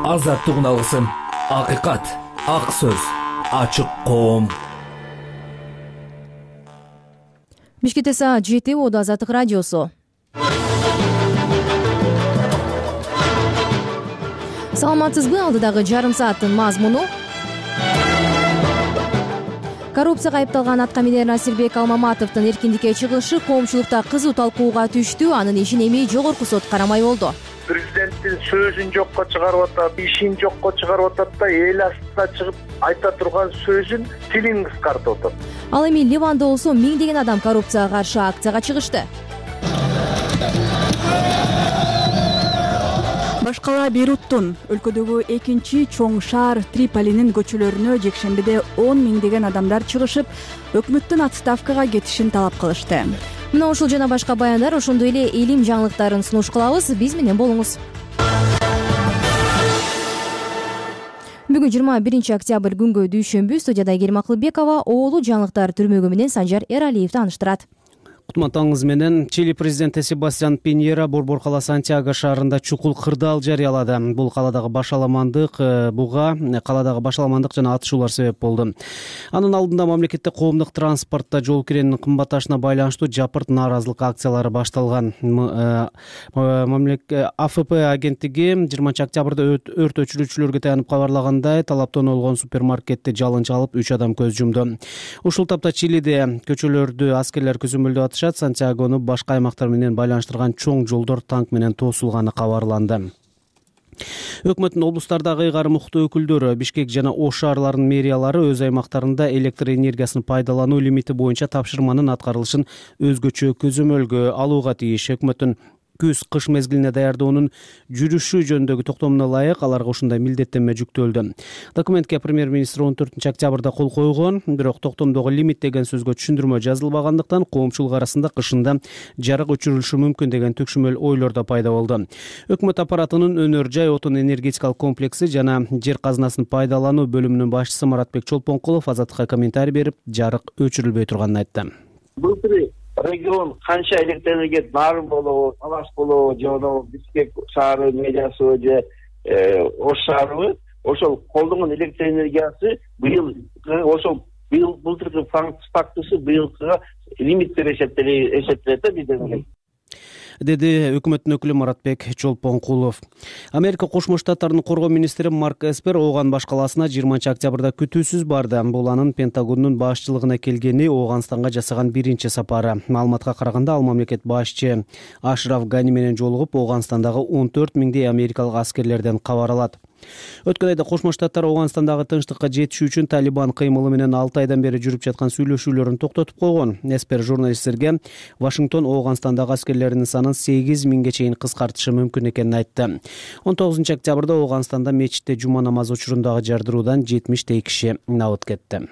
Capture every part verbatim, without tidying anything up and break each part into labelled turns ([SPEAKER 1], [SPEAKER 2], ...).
[SPEAKER 1] азаттыгын алгысың. Акыйкат, ак сөз, ачык коом.
[SPEAKER 2] Бишкекте саат жети, Оду Азаттык радиосу. Саламатсызбы? Алдыдагы жарым сааттын мазмуну. Коррупцияга айыпталган аткаминер Насирбек Алмаматовдун эркиндикке чыгышы коомчулукта кызуу талкууга түштү. Анын ишин эми жогорку сот карамай болду.
[SPEAKER 3] Президенттин сөзүн жокко чыгарып атат, ишин жокко чыгарып атат да, эл астына чыгып айта турган сөзүн тилин кыскартып атат.
[SPEAKER 2] Ал эми Ливанда болсо миңдеген адам коррупцияга каршы акцияга чыгышты.
[SPEAKER 4] Башкала Бейруттун өлкөдөгү экинчи чоң шаар Триполинин көчөлөрүнө жекшембиде он миңдеген адамдар чыгышып, өкмөттүн отставкага кетишин талап кылышты.
[SPEAKER 2] Мына ушул жана башка баяндар, ошондой эле илим жаңылыктарын сунуш кылабыз. Биз менен болуңуз. Бүгүн жыйырма биринчи октябрь күнгө дүйшөмбү. Студияда Айгерим Акылбекова, оолу жаңылыктар түрмөгү менен Санжар Эралиев тааныштырат.
[SPEAKER 5] Кутмандыгыңыз менен. Чили президенти Себастьян Пиньера борбор кала Сантьяго шаарында чукул кырдаал жарыялады. Бул каладагы башаламандык буга каладагы башаламандык жана атышуулар себеп болду. Анын алдында мамлекетте коомдук транспортто жол киренин кымбатташына байланыштуу жапырт нааразылык акциялары башталган. АФП агенттиги жыйырманчы октябрда өрт өчүрүүчүлөргө таянып кабарлагандай, талаптан олгон супермаркетти жалынча алып үч адам көз жумду. Ушул тапта Чилиде көчөлөрдү аскерлер көзөмөлдөп атышат. Сантьягону башка аймактар менен байланыштырган чоң жолдор танк менен тосулганы кабарланды. Өкмөттүн облустардагы ыйгарым укуктуу өкүлдөрү Бишкек жана Ош шаарларынын мэриялары өз аймактарында электр энергиясын пайдалануу лимити боюнча тапшырманын аткарылышын өзгөчө көзөмөлгө алууга тийиш. Өкмөттүн күз-кыш мезгилине даярдоонун жүрүшү жөнүндөгү токтомуна ылайык аларга ушундай милдеттенме жүктөлдү. Документке премьер-министр он төртүнчү октябрда кол койгон, бирок токтомдогу лимит деген сөзгө түшүндүрмө жазылбагандыктан коомчулук арасында кышында жарык өчүрүлүшү мүмкүн деген түкшүмөл ойлор да пайда болду. Өкмөт аппаратынын өнөр жай отун энергетикалык комплекси жана жер казынасын пайдалануу бөлүмүнүн башчысы Маратбек Чолпонкулов Азаттыкка комментарий берип, жарык өчүрүлбөй турганын айтты.
[SPEAKER 6] Регион канча электр энергия нарын болобу, Талаш болобу, же ono Бишкек шаары мэриясы же Ош шаарыбы, ошол колдонгон электр энергиясы быйыл ошол быйыл былтыркы фактысы быйылкыга лимиттер эсептелет да бизден,
[SPEAKER 5] деди өкмөттүн өкүлү Маратбек Чолпонкулов. Америка Кошмо Штаттарынын коргоо министри Марк Эспер Ооган баш калаасына жыйырманчы октябрда күтүүсүз барды. Бул анын Пентагондун башчылыгына келгени Ооганстанга жасаган биринчи сапары. Маалыматка караганда, ал мамлекет башчы Ашраф Гани менен жолугуп, Ооганстандагы он төрт миңдей америкалык аскерлерден кабар алат. Өткөн айда Кошмо Штаттар Ооганстандагы тынчтыкка жетишүү үчүн Талибан кыймылы менен алты айдан бери жүрүп жаткан сүйлөшүүлөрүн токтотуп койгон. Эспер журналисттерге Вашингтон Ооганстандагы аскерлеринин санын сегиз миңге чейин кыскартышы мүмкүн экенин айтты. он тогузунчу октябрда Ооганстанда мечитте жума намазы учурундагы жардыруудан жетимиштей киши набыт кетти.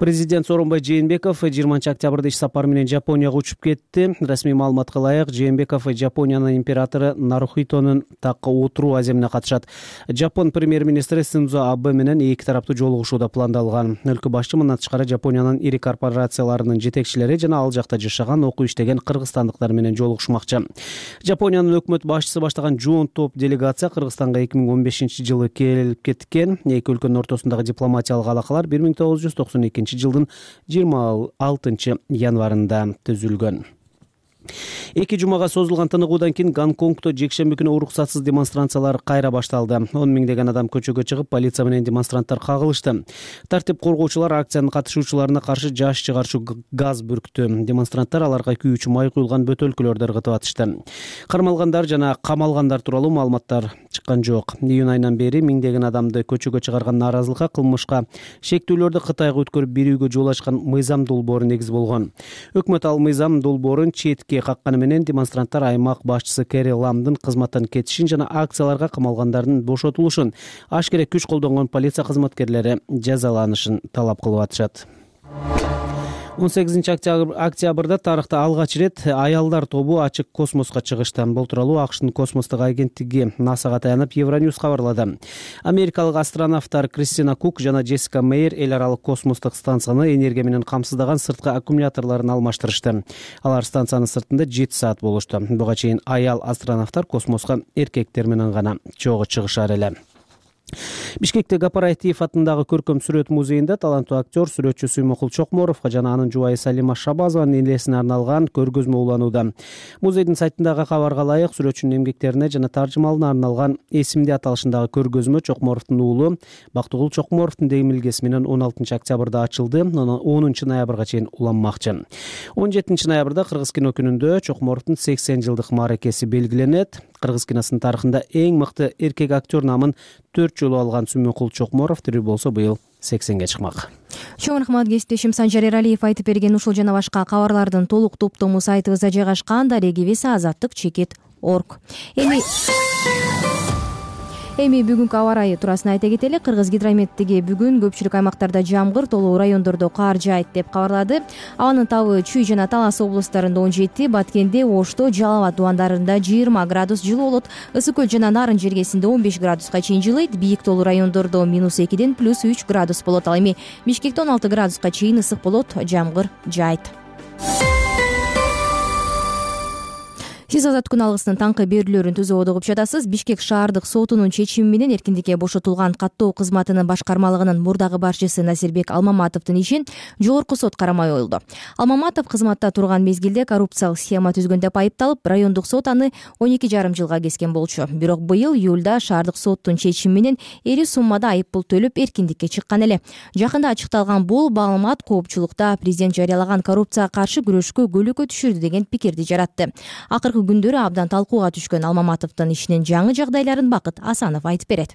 [SPEAKER 5] Президент Сооронбай Жээнбеков жыйырманчы октябрда иш сапары менен Жапонияга учуп кетти. Расмий маалыматка ылайык, Жээнбеков Жапониянын императору Нарухитонун такка отуруу аземине катышат. Жапон премьер-министри Синдзо Абэ менен эки тараптуу жолугушуу да пландалган. Өлкө башчы мындан тышкары Жапониянын ири корпорацияларынын жетекчилери жана ал жакта жашаган, окуп иштеген кыргызстандыктар менен жолугушмакчы. Жапониянын өкмөт башчысы баштаган жоон топ делегация Кыргызстанга эки миң он бешинчи жылы келип кеткен. Эки өлкөнүн ортосундагы дипломатиялык алакалар бир миң тогуз жүз токсон экинчи жылдын жыйырма алтынчы январында түзүлгөн. Эки жумага созулган тыныгуудан кийин Гонконгдо жекшемби күнү уруксатсыз демонстрациялар кайра башталды. он миңдеген адам көчөгө чыгып, полиция менен демонстранттар кагылышты. Тартип коргоочулар акциянын катышуучуларына каршы жаш чыгарчу газ бүрктү. Демонстранттар аларга күйүүчү май куюлган бөтөлкөлөрдү ыргытып атышты. Кармалгандар жана камалгандар тууралуу маалыматтар чыккан жок. Июнь айынан бери миңдеген адамды көчөгө чыгарган нааразылыкка кылмышка шектүүлөрдү Кытайга өткөрүп берүүгө жол ачкан мыйзам долбоору негиз болгон. Өкмөт ал мыйзам долбоорун четке какканы менен демонстранттар аймак башчысы Кэри Ламдын кызматтан кетишин жана акцияларга камалгандардын бошотулушун, ашкере күч колдонгон полиция кызматкерлери жазаланышын талап кылып атышат. он сегизинчи октябрда тарыхта алгач ирет аялдар тобу ачык космоско чыгышты. Бул тууралуу АКШтын космостук агенттиги НАСАга таянып Евроньюз кабарлады. Америкалык астронавттар Кристина Кук жана Джессика Мейер эл аралык космостук станцияны энергия менен камсыздаган сырткы аккумуляторлорун алмаштырышты. Алар станциянын сыртында жети саат болушту. Буга чейин аял астронавттар космоско эркектер менен гана чогуу чыгышар эле. Бишкектеги Апаратиев атындагы көркөм сүрөт музейинде таланттуу актер, сүрөтчү Сүймөкул Чокморовго жана анын жубайы Салима Шабазованын элесине арналган көргөзмө уланууда. Музейдин сайтындагы кабарга ылайык, сүрөтчүнүн эмгектерине жана таржымалына арналган эсимди аталышындагы көргөзмө Чокморовдун уулу Бактыгул Чокморовдун демилгеси менен он алтынчы октябрда ачылды, онунчу ноябрга чейин уланмакчы. он жетинчи ноябрда Кыргыз кино күнүндө Чокморовдун сексен жылдык мааракеси белгиленет. Кыргыз киносунун тарыхында эң мыкты эркек актер намын төрт жолу алган Сүймөкул Чокморов тирүү болсо быйыл сексенге чыкмак.
[SPEAKER 2] Чоң рахмат кесиптешим Санжар Эралиев айтып берген ушул жана башка кабарлардын толук топтому сайтыбызда жайгашкан. Дарегибиз азаттык чекит точка орг. Эми Эми бүгүнкү аба ырайы туурасында айта кетели. Кыргыз гидрометтиги бүгүн көпчүлүк аймактарда жамгыр, толуу райондордо кар жаайт деп кабарлады. Абанын табы Чүй жана Талас облустарында он жети, Баткенде, Ошто, Жалал абад дубандарында жыйырма градус жылуу болот. Ысык көл жана Нарын жергесинде он беш градуска чейин жылыйт. Бийик толуу райондордо минус экиден плюс үч градус болот. Ал эми Бишкекте он алты градуска чейин ысык болот, жамгыр жаайт. Сиз Азат күн алгысынын таңкы берүүлөрүн түзүп угуп жатасыз. Бишкек шаардык сотунун чечими менен эркиндикке бошотулган каттоо кызматынын башкармалыгынын мурдагы башчысы Насирбек Алмаматовдун ишин жогорку сот карамай коюлду. Алмаматов кызматта турган мезгилде коррупциялык схема түзгөн деп айыпталып, райондук сот аны он эки жарым жылга кескен болчу. Бирок быйыл июлда шаардык соттун чечими менен эри суммада айып пул төлөп эркиндикке чыккан эле. Жакында ачыкталган бул маалымат коопчулукта президент жарыялаган коррупцияга каршы күрөшкө көөлөкө түшүрдү деген пикирди жаратты. Акыркы күндөрү абдан талкууга түшкөн Алмаматовдун ишинин жаңы жагдайларын Бакыт Асанов айтып берет.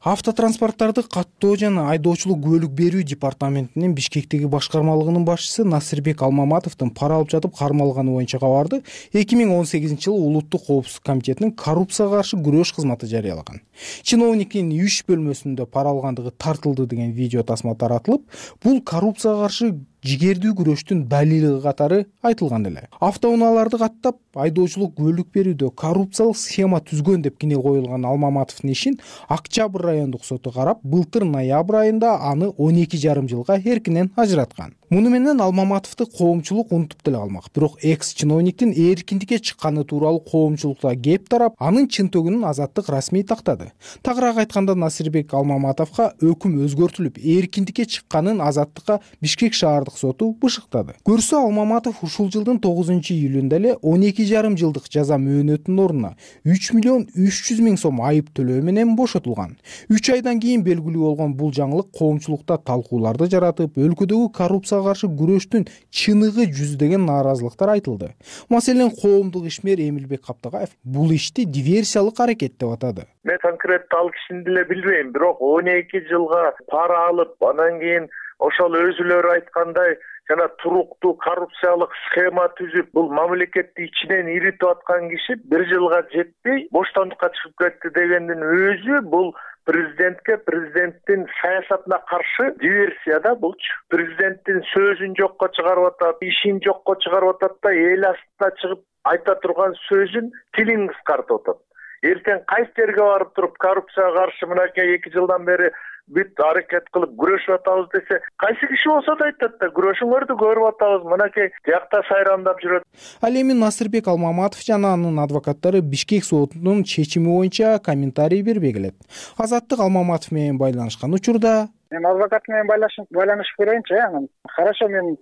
[SPEAKER 7] Автотранспорттарды каттоо жана айдоочулук күбөлүк берүү департаментинин Бишкектеги башкармалыгынын башчысы Насирбек Алмаматовдун пара алып жатып кармалганы боюнча кабарды эки миң он сегизинчи жылы Улуттук коопсуздук комитетинин коррупцияга каршы күрөш кызматы жарыялаган. Чиновниктин иш бөлмөсүндө пара алгандыгы тартылды деген видео тасма таратылып, бул коррупцияга каршы жигердүү күрөштүн далили катары айтылган эле. Автоунааларды каттап, айдоочулук күбөлүк берүүдө коррупциялык схема түзгөн деп кине коюлган Алмаматовдун ишин Октябрь райондук соту карап, былтыр ноябрь айында аны он эки жарым жылга эркинен ажыраткан. Муну менен Алмаматовду коомчулук унутуп деле калмак. Бирок экс-чиновниктин эркиндикке чыкканы тууралуу коомчулукта кеп тарап, анын чынтөгүнүн азаттык расмий тактады. Тагыраак айтканда Насирбек Алмаматовго өкүм өзгөртүлүп, эркиндикке чыкканын азаттыкка Бишкек шаардык соту бышыктады. Көрсө Алмаматов ушул жылдын тогузунчу июлунда эле он эки жарым жылдык жаза мөөнөтүнүн ордуна үч миллион үч жүз миң сом айып төлөө менен бошотулган. үч айдан кийин белгилүү болгон бул жаңылык коомчулукта талкууларды жаратып, өлкөдөгү коррупцияга каршы күрөштүн чыныгы жүздөгөн нааразылыктар айтылды. Маселен, коомдук ишмер Эмилбек Каптагаев бул ишти диверсиялык аракет деп атады.
[SPEAKER 3] Мен конкреттүү ал кишини деле билбейм, бирок он эки жылга пара алып, анан кийин ошол өзүлөрү айткандай жана туруктуу коррупциялык схема түзүп, бул мамлекетти ичинен иритип аткан киши бир жылга жетпей боштондукка чыгып кетти дегендин өзү бул президентке, президенттин саясатына каршы диверсия да булчу. Президенттин сөзүн жокко чыгарып атат, ишин жокко чыгарып атат да, эл астына чыгып айта турган сөзүн тилин кыскартып атат. Эртең кайсы жерге барып туруп коррупцияга каршы мынакей эки жылдан бери бүт аракет кылып күрөшүп атабыз десе, кайсы киши болсо да айтат да, күрөшүңөрдү көрүп атабыз, мынакей жакта сайрамдап жүрөт.
[SPEAKER 7] Ал эми Насирбек Алмаматов жана анын адвокаттары Бишкек сотунун чечими боюнча комментарий бербей келет. Азаттык Алмаматов менен байланышкан учурда
[SPEAKER 8] мен адвокат менен байланышып көрөйүнчү, анан хорошо, мен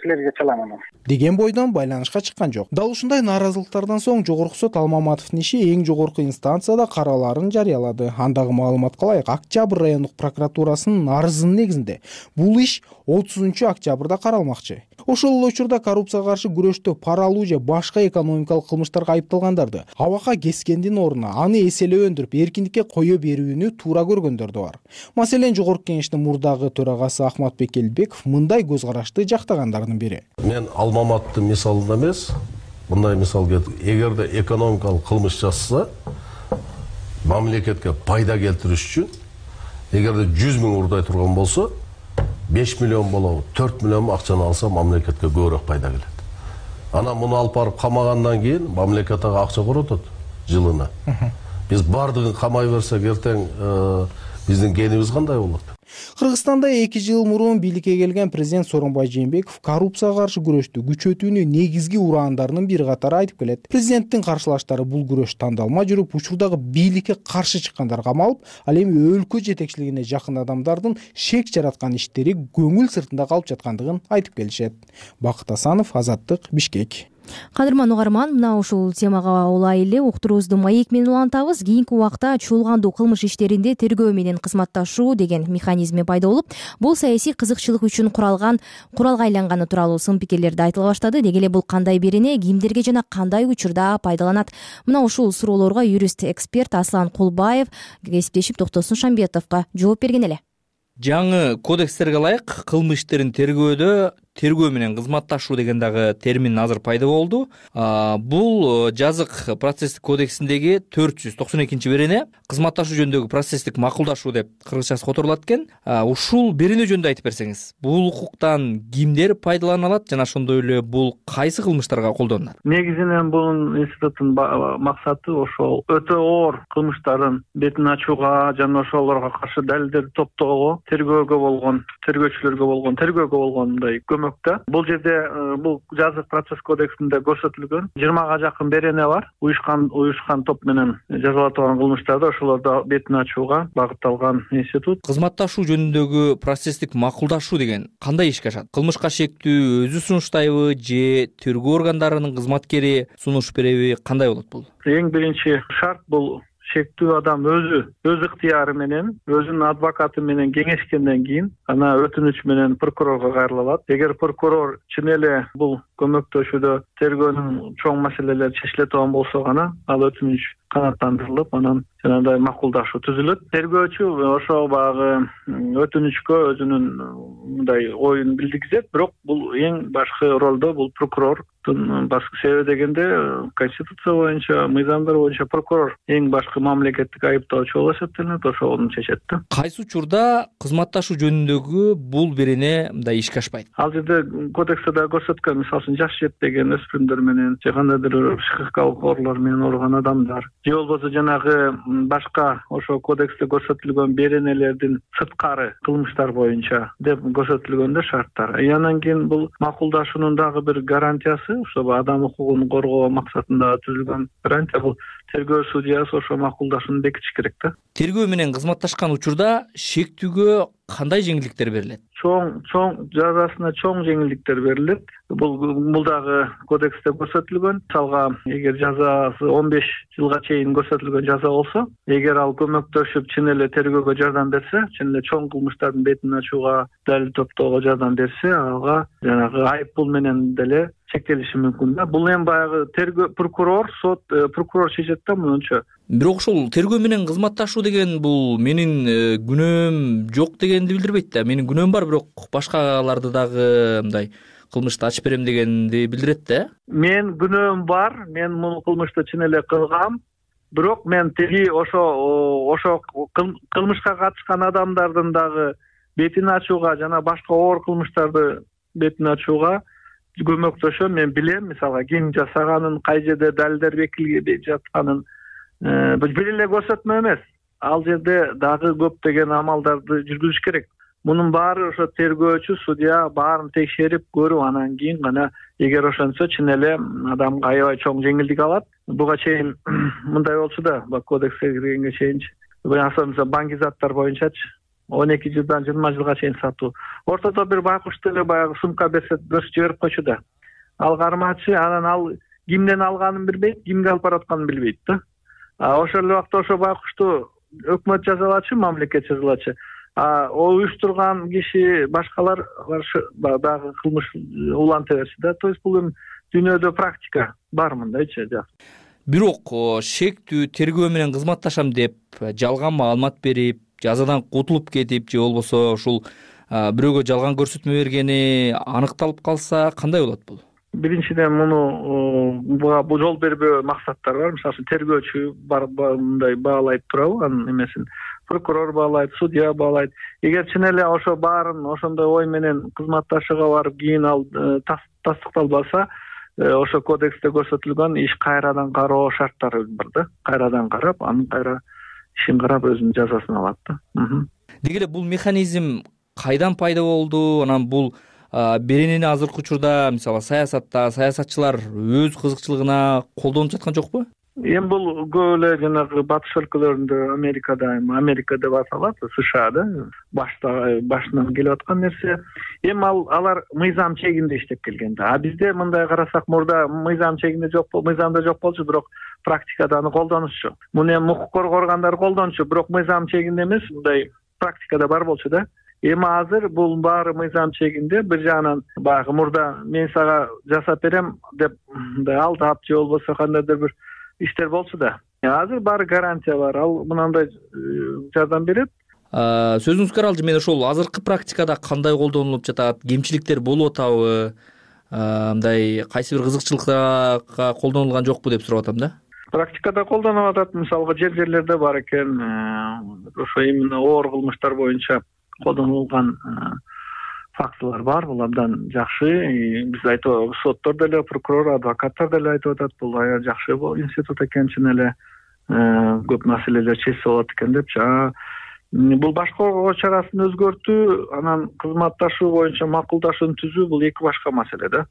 [SPEAKER 8] силерге чаламын
[SPEAKER 7] деген бойдон байланышка чыккан жок. Дал ушундай нааразылыктардан соң жогорку сот Алмаматовдун иши эң жогорку инстанцияда караларын жарыялады. Андагы маалыматка ылайык, Октябрь райондук прокуратурасынын арызынын негизинде бул иш отузунчу октябрда каралмакчы. Ошол эле учурда коррупцияга каршы күрөштө пара алуу же башка экономикалык кылмыштарга айыпталгандарды абакка кескендин ордуна аны эселеп өндүрүп эркиндикке кое берүүнү туура көргөндөр да бар. Маселен, жогорку кеңештин мурдагы төрагасы Ахматбек Элбеков мындай көз карашты жактагандардын бири.
[SPEAKER 9] Мен Алмаматтын мисалында эмес, мындай мисал келтирем. Эгерде экономикалык кылмыш жасаса, мамлекетке пайда келтириш үчүн эгерде жүз миң урдай турган болсо, беш миллион болобу, төрт миллион акчаны алса мамлекетке көбүрөөк пайда келет. Анан муну алып барып камагандан кийин мамлекет ага акча коротот жылына. Биз бардыгын камай берсек эртең биздин кенибиз кандай болот?
[SPEAKER 7] Кыргызстанда эки жыл мурун бийликке келген президент Сооронбай Жээнбеков коррупцияга каршы күрөштү күчөтүүнү негизги ураандарынын бири катары айтып келет. Президенттин каршылаштары бул күрөш тандалмай жүрүп, учурдагы бийликке каршы чыккандар камалып, ал эми өлкө жетекчилигине жакын адамдардын шек жараткан иштери көңүл сыртында калып жаткандыгын айтып келишет. Бакыт Асанов, Азаттык, Бишкек.
[SPEAKER 2] Кадырман угарман, мына ушул темага улайлы уктуруубузду маек менен улантабыз. Кийинки убакта чуулгандуу кылмыш иштеринде тергөө менен кызматташуу деген механизми пайда болуп, бул саясий кызыкчылык үчүн куралган куралга айланганы тууралуу сын пикирлерди айтыла баштады. Деги эле бул кандай берене, кимдерге жана кандай учурда пайдаланат? Мына ушул суроолорго юрист эксперт Аслан Кулбаев кесиптешип Токтосун Шамбетовго жооп берген эле.
[SPEAKER 10] Жаңы кодекстерге ылайык кылмыш иштерин тергөөдө тергөө менен кызматташуу деген дагы термин азыр пайда болду. Бул жазык процесстик кодексиндеги төрт жүз токсон экинчи берене кызматташуу жөнүндөгү процесстик макулдашуу деп кыргызчасы которулат экен. Ушул берене жөнүндө айтып берсеңиз, бул укуктан кимдер пайдалана алат жана ошондой эле бул кайсы кылмыштарга колдонулат?
[SPEAKER 11] Негизинен бул институттун максаты ошол өтө оор кылмыштардын бетин ачууга жана ошолорго каршы далилдерди топтоого, тергөөгө болгон, тергөөчүлөргө болгон, тергөөгө болгон мындай көмөк. Бул жерде бул жазык процесс кодексинде көрсөтүлгөн жыйырмага жакын берене бар. Уюшкан уюшкан топ менен жазалатылган кылмыштарды ошолорду бетин ачууга багытталган институт.
[SPEAKER 10] Кызматташуу жөнүндөгү процесстик макулдашуу деген кандай ишке ашат? Кылмышка шектүү өзү сунуштайбы же тергөө органдарынын кызматкери сунуш береби, кандай болот бул?
[SPEAKER 11] Эң биринчи шарт бул шектүү адам өзү өз ыктыяры менен, өзүнүн адвокаты менен кеңешкенден кийин ана өтүнүч менен прокурорго кайрыла алат. Эгер прокурор чын эле бул көмөктөшүүдө тергөөнүн чоң маселелери чечиле турган болсо гана ал өтүнүч канааттандырылып, анан жанагындай макулдашуу түзүлөт. Тергөөчү ошо багы өтүнүчкө өзүнүн мындай оюн билдиргизет, бирок бул эң башкы ролдо бул прокурордун башкы себеби дегенде конституция боюнча, мыйзамдар боюнча прокурор эң башкы мамлекеттик айыптоочу болуп эсептелет, ошону чечет да.
[SPEAKER 10] Кайсы учурда кызматташуу жөнүндөгү бул берене мындай ишке ашпайт?
[SPEAKER 11] Ал жерде кодексте да көрсөткөн, мисалы үчүн жаш жетпеген өспүрүмдөр менен же кандайдыр психикалык оорулар менен ооруган адамдар же болбосо жанагы башка ошо кодексте көрсөтүлгөн беренелердин сырткары кылмыштар боюнча деп көрсөтүлгөндө шарттар. И анан кийин бул макулдашуунун дагы бир гарантиясы, ошо адам укугун коргоо максатында түзүлгөн гарантия, бул тергөө судьясы ошо макулдашууну бекитиш керек да.
[SPEAKER 10] Тергөө менен кызматташкан учурда шектүүгө кандай жеңилдиктер берилет?
[SPEAKER 11] Чоң чоң жазасына чоң жеңилдиктер берилет. Бул бул дагы кодексте көрсөтүлгөн. Мисалга, эгер жазасы он беш жылга чейин көрсөтүлгөн жаза болсо, эгер ал көмөктөшүп чын эле тергөөгө жардам берсе, чын эле чоң кылмыштардын бетин ачууга, далил топтоого жардам берсе, ага жанагы айып пул менен деле чектелиши мүмкүн да. Бул эми баягы тергөө прокурор, сот прокурор чечет да мынча.
[SPEAKER 10] Бирок ошол тергөө менен кызматташуу деген бул менин күнөөм жок дегенди билдирбейт да. Менин күнөөм бар, бирок башкаларды дагы мындай кылмышты ачып берем дегенди билдирет да.
[SPEAKER 11] Мен күнөөм бар, мен муну кылмышты чын эле кылгам, бирок мен тиги ошо ошо кылмышка катышкан адамдардын дагы бетин ачууга жана башка оор кылмыштарды бетин ачууга көмөктөшөм. Мен билем, мисалга ким жасаганын, кай жерде далилдер бекилип жатканын бир эле көрсөтмө эмес. Ал жерде дагы көптөгөн амалдарды жүргүзүш керек. Мунун баары ошо тергөөчү, судья баарын текшерип көрүп, анан кийин гана эгер ошентсе чын эле адамга аябай чоң жеңилдик алат. Буга чейин мындай болчу да, кодекске киргенге чейинчи. Мисалы банки заттар боюнчачы он эки жылдан жыйырма жылга чейин сатуу. Ортодо бир байкушту эле баягы сумка берсе, бөлүп жиберип койчу да. Ал кармачы, анан ал кимден алганын билбейт, кимге алып баратканын билбейт да. А ошол эле убакта ошо байкушту өкмөт жазалачы, мамлекет жазалачы. А о уюштурган киши башкалар каршы дагы кылмыш уланта берсе да. То есть бул эми дүйнөдө практика бар мындайчы.
[SPEAKER 10] Бирок шектүү тергөө менен кызматташам деп жалган маалымат берип, жазадан кутулуп кетип же болбосо ушул бирөөгө жалган көрсөтмө бергени аныкталып калса кандай болот бул?
[SPEAKER 11] Биринчиден муну буга жол бербөө максаттар бар. Мисалы үчүн тергөөчү бар мындай баалайт турабы анын эмесин. прокурор баалайт, судья баалайт. Эгер чын эле ошо баарын ошондой ой менен кызматташыга барып кийин ал тастыкталбаса, ошо кодексте көрсөтүлгөн иш кайрадан кароо шарттары бар да. Кайрадан карап, анын кайра ишин карап өзүнүн жазасын алат да.
[SPEAKER 10] Деги эле бул механизм кайдан пайда болду? Анан бул беренени азыркы учурда мисалы саясатта саясатчылар өз кызыкчылыгына колдонуп жаткан жокпу?
[SPEAKER 11] Эми бул көп эле жанагы батыш өлкөлөрүндө, Америкада, Америка деп аталат, СШАда башта башынан келип аткан нерсе. Эми ал алар мыйзам чегинде иштеп келген да. А бизде мындай карасак, мурда мыйзам чегинде жок болду, мыйзамда жок болчу, бирок практикада аны колдонушчу. Муну эми укук коргогандар колдончу, бирок мыйзам чегинде эмес, мындай практикада бар болчу да. Эми азыр бул баары мыйзам чегинде. Бир жагынан баягы мурда мен сага жасап берем деп мындай алдап же болбосо кандайдыр бир иштер болчу да. Азыр баары гарантия бар. Ал мынандай жардам берет.
[SPEAKER 10] Сөзүңүзгө каралды, мен ошол азыркы практикада кандай колдонулуп жатат, кемчиликтер болуп атабы, мындай кайсы бир кызыкчылыкка колдонулган жокпу деп сурап атам да.
[SPEAKER 11] Практикада колдонуп атат, мисалга жер жерлерде бар экен. Ошо именно оор кылмыштар боюнча колдонулган фактылар бар. Бул абдан жакшы. Биз айтып, соттор деле, прокурор, адвокаттар деле айтып атат, бул аябай жакшы институт экен, чын эле көп маселелер чечсе болот экен депчи. Бул баш коргоо чарасын өзгөртүү, анан кызматташуу боюнча макулдашууну түзүү, бул эки башка маселе да.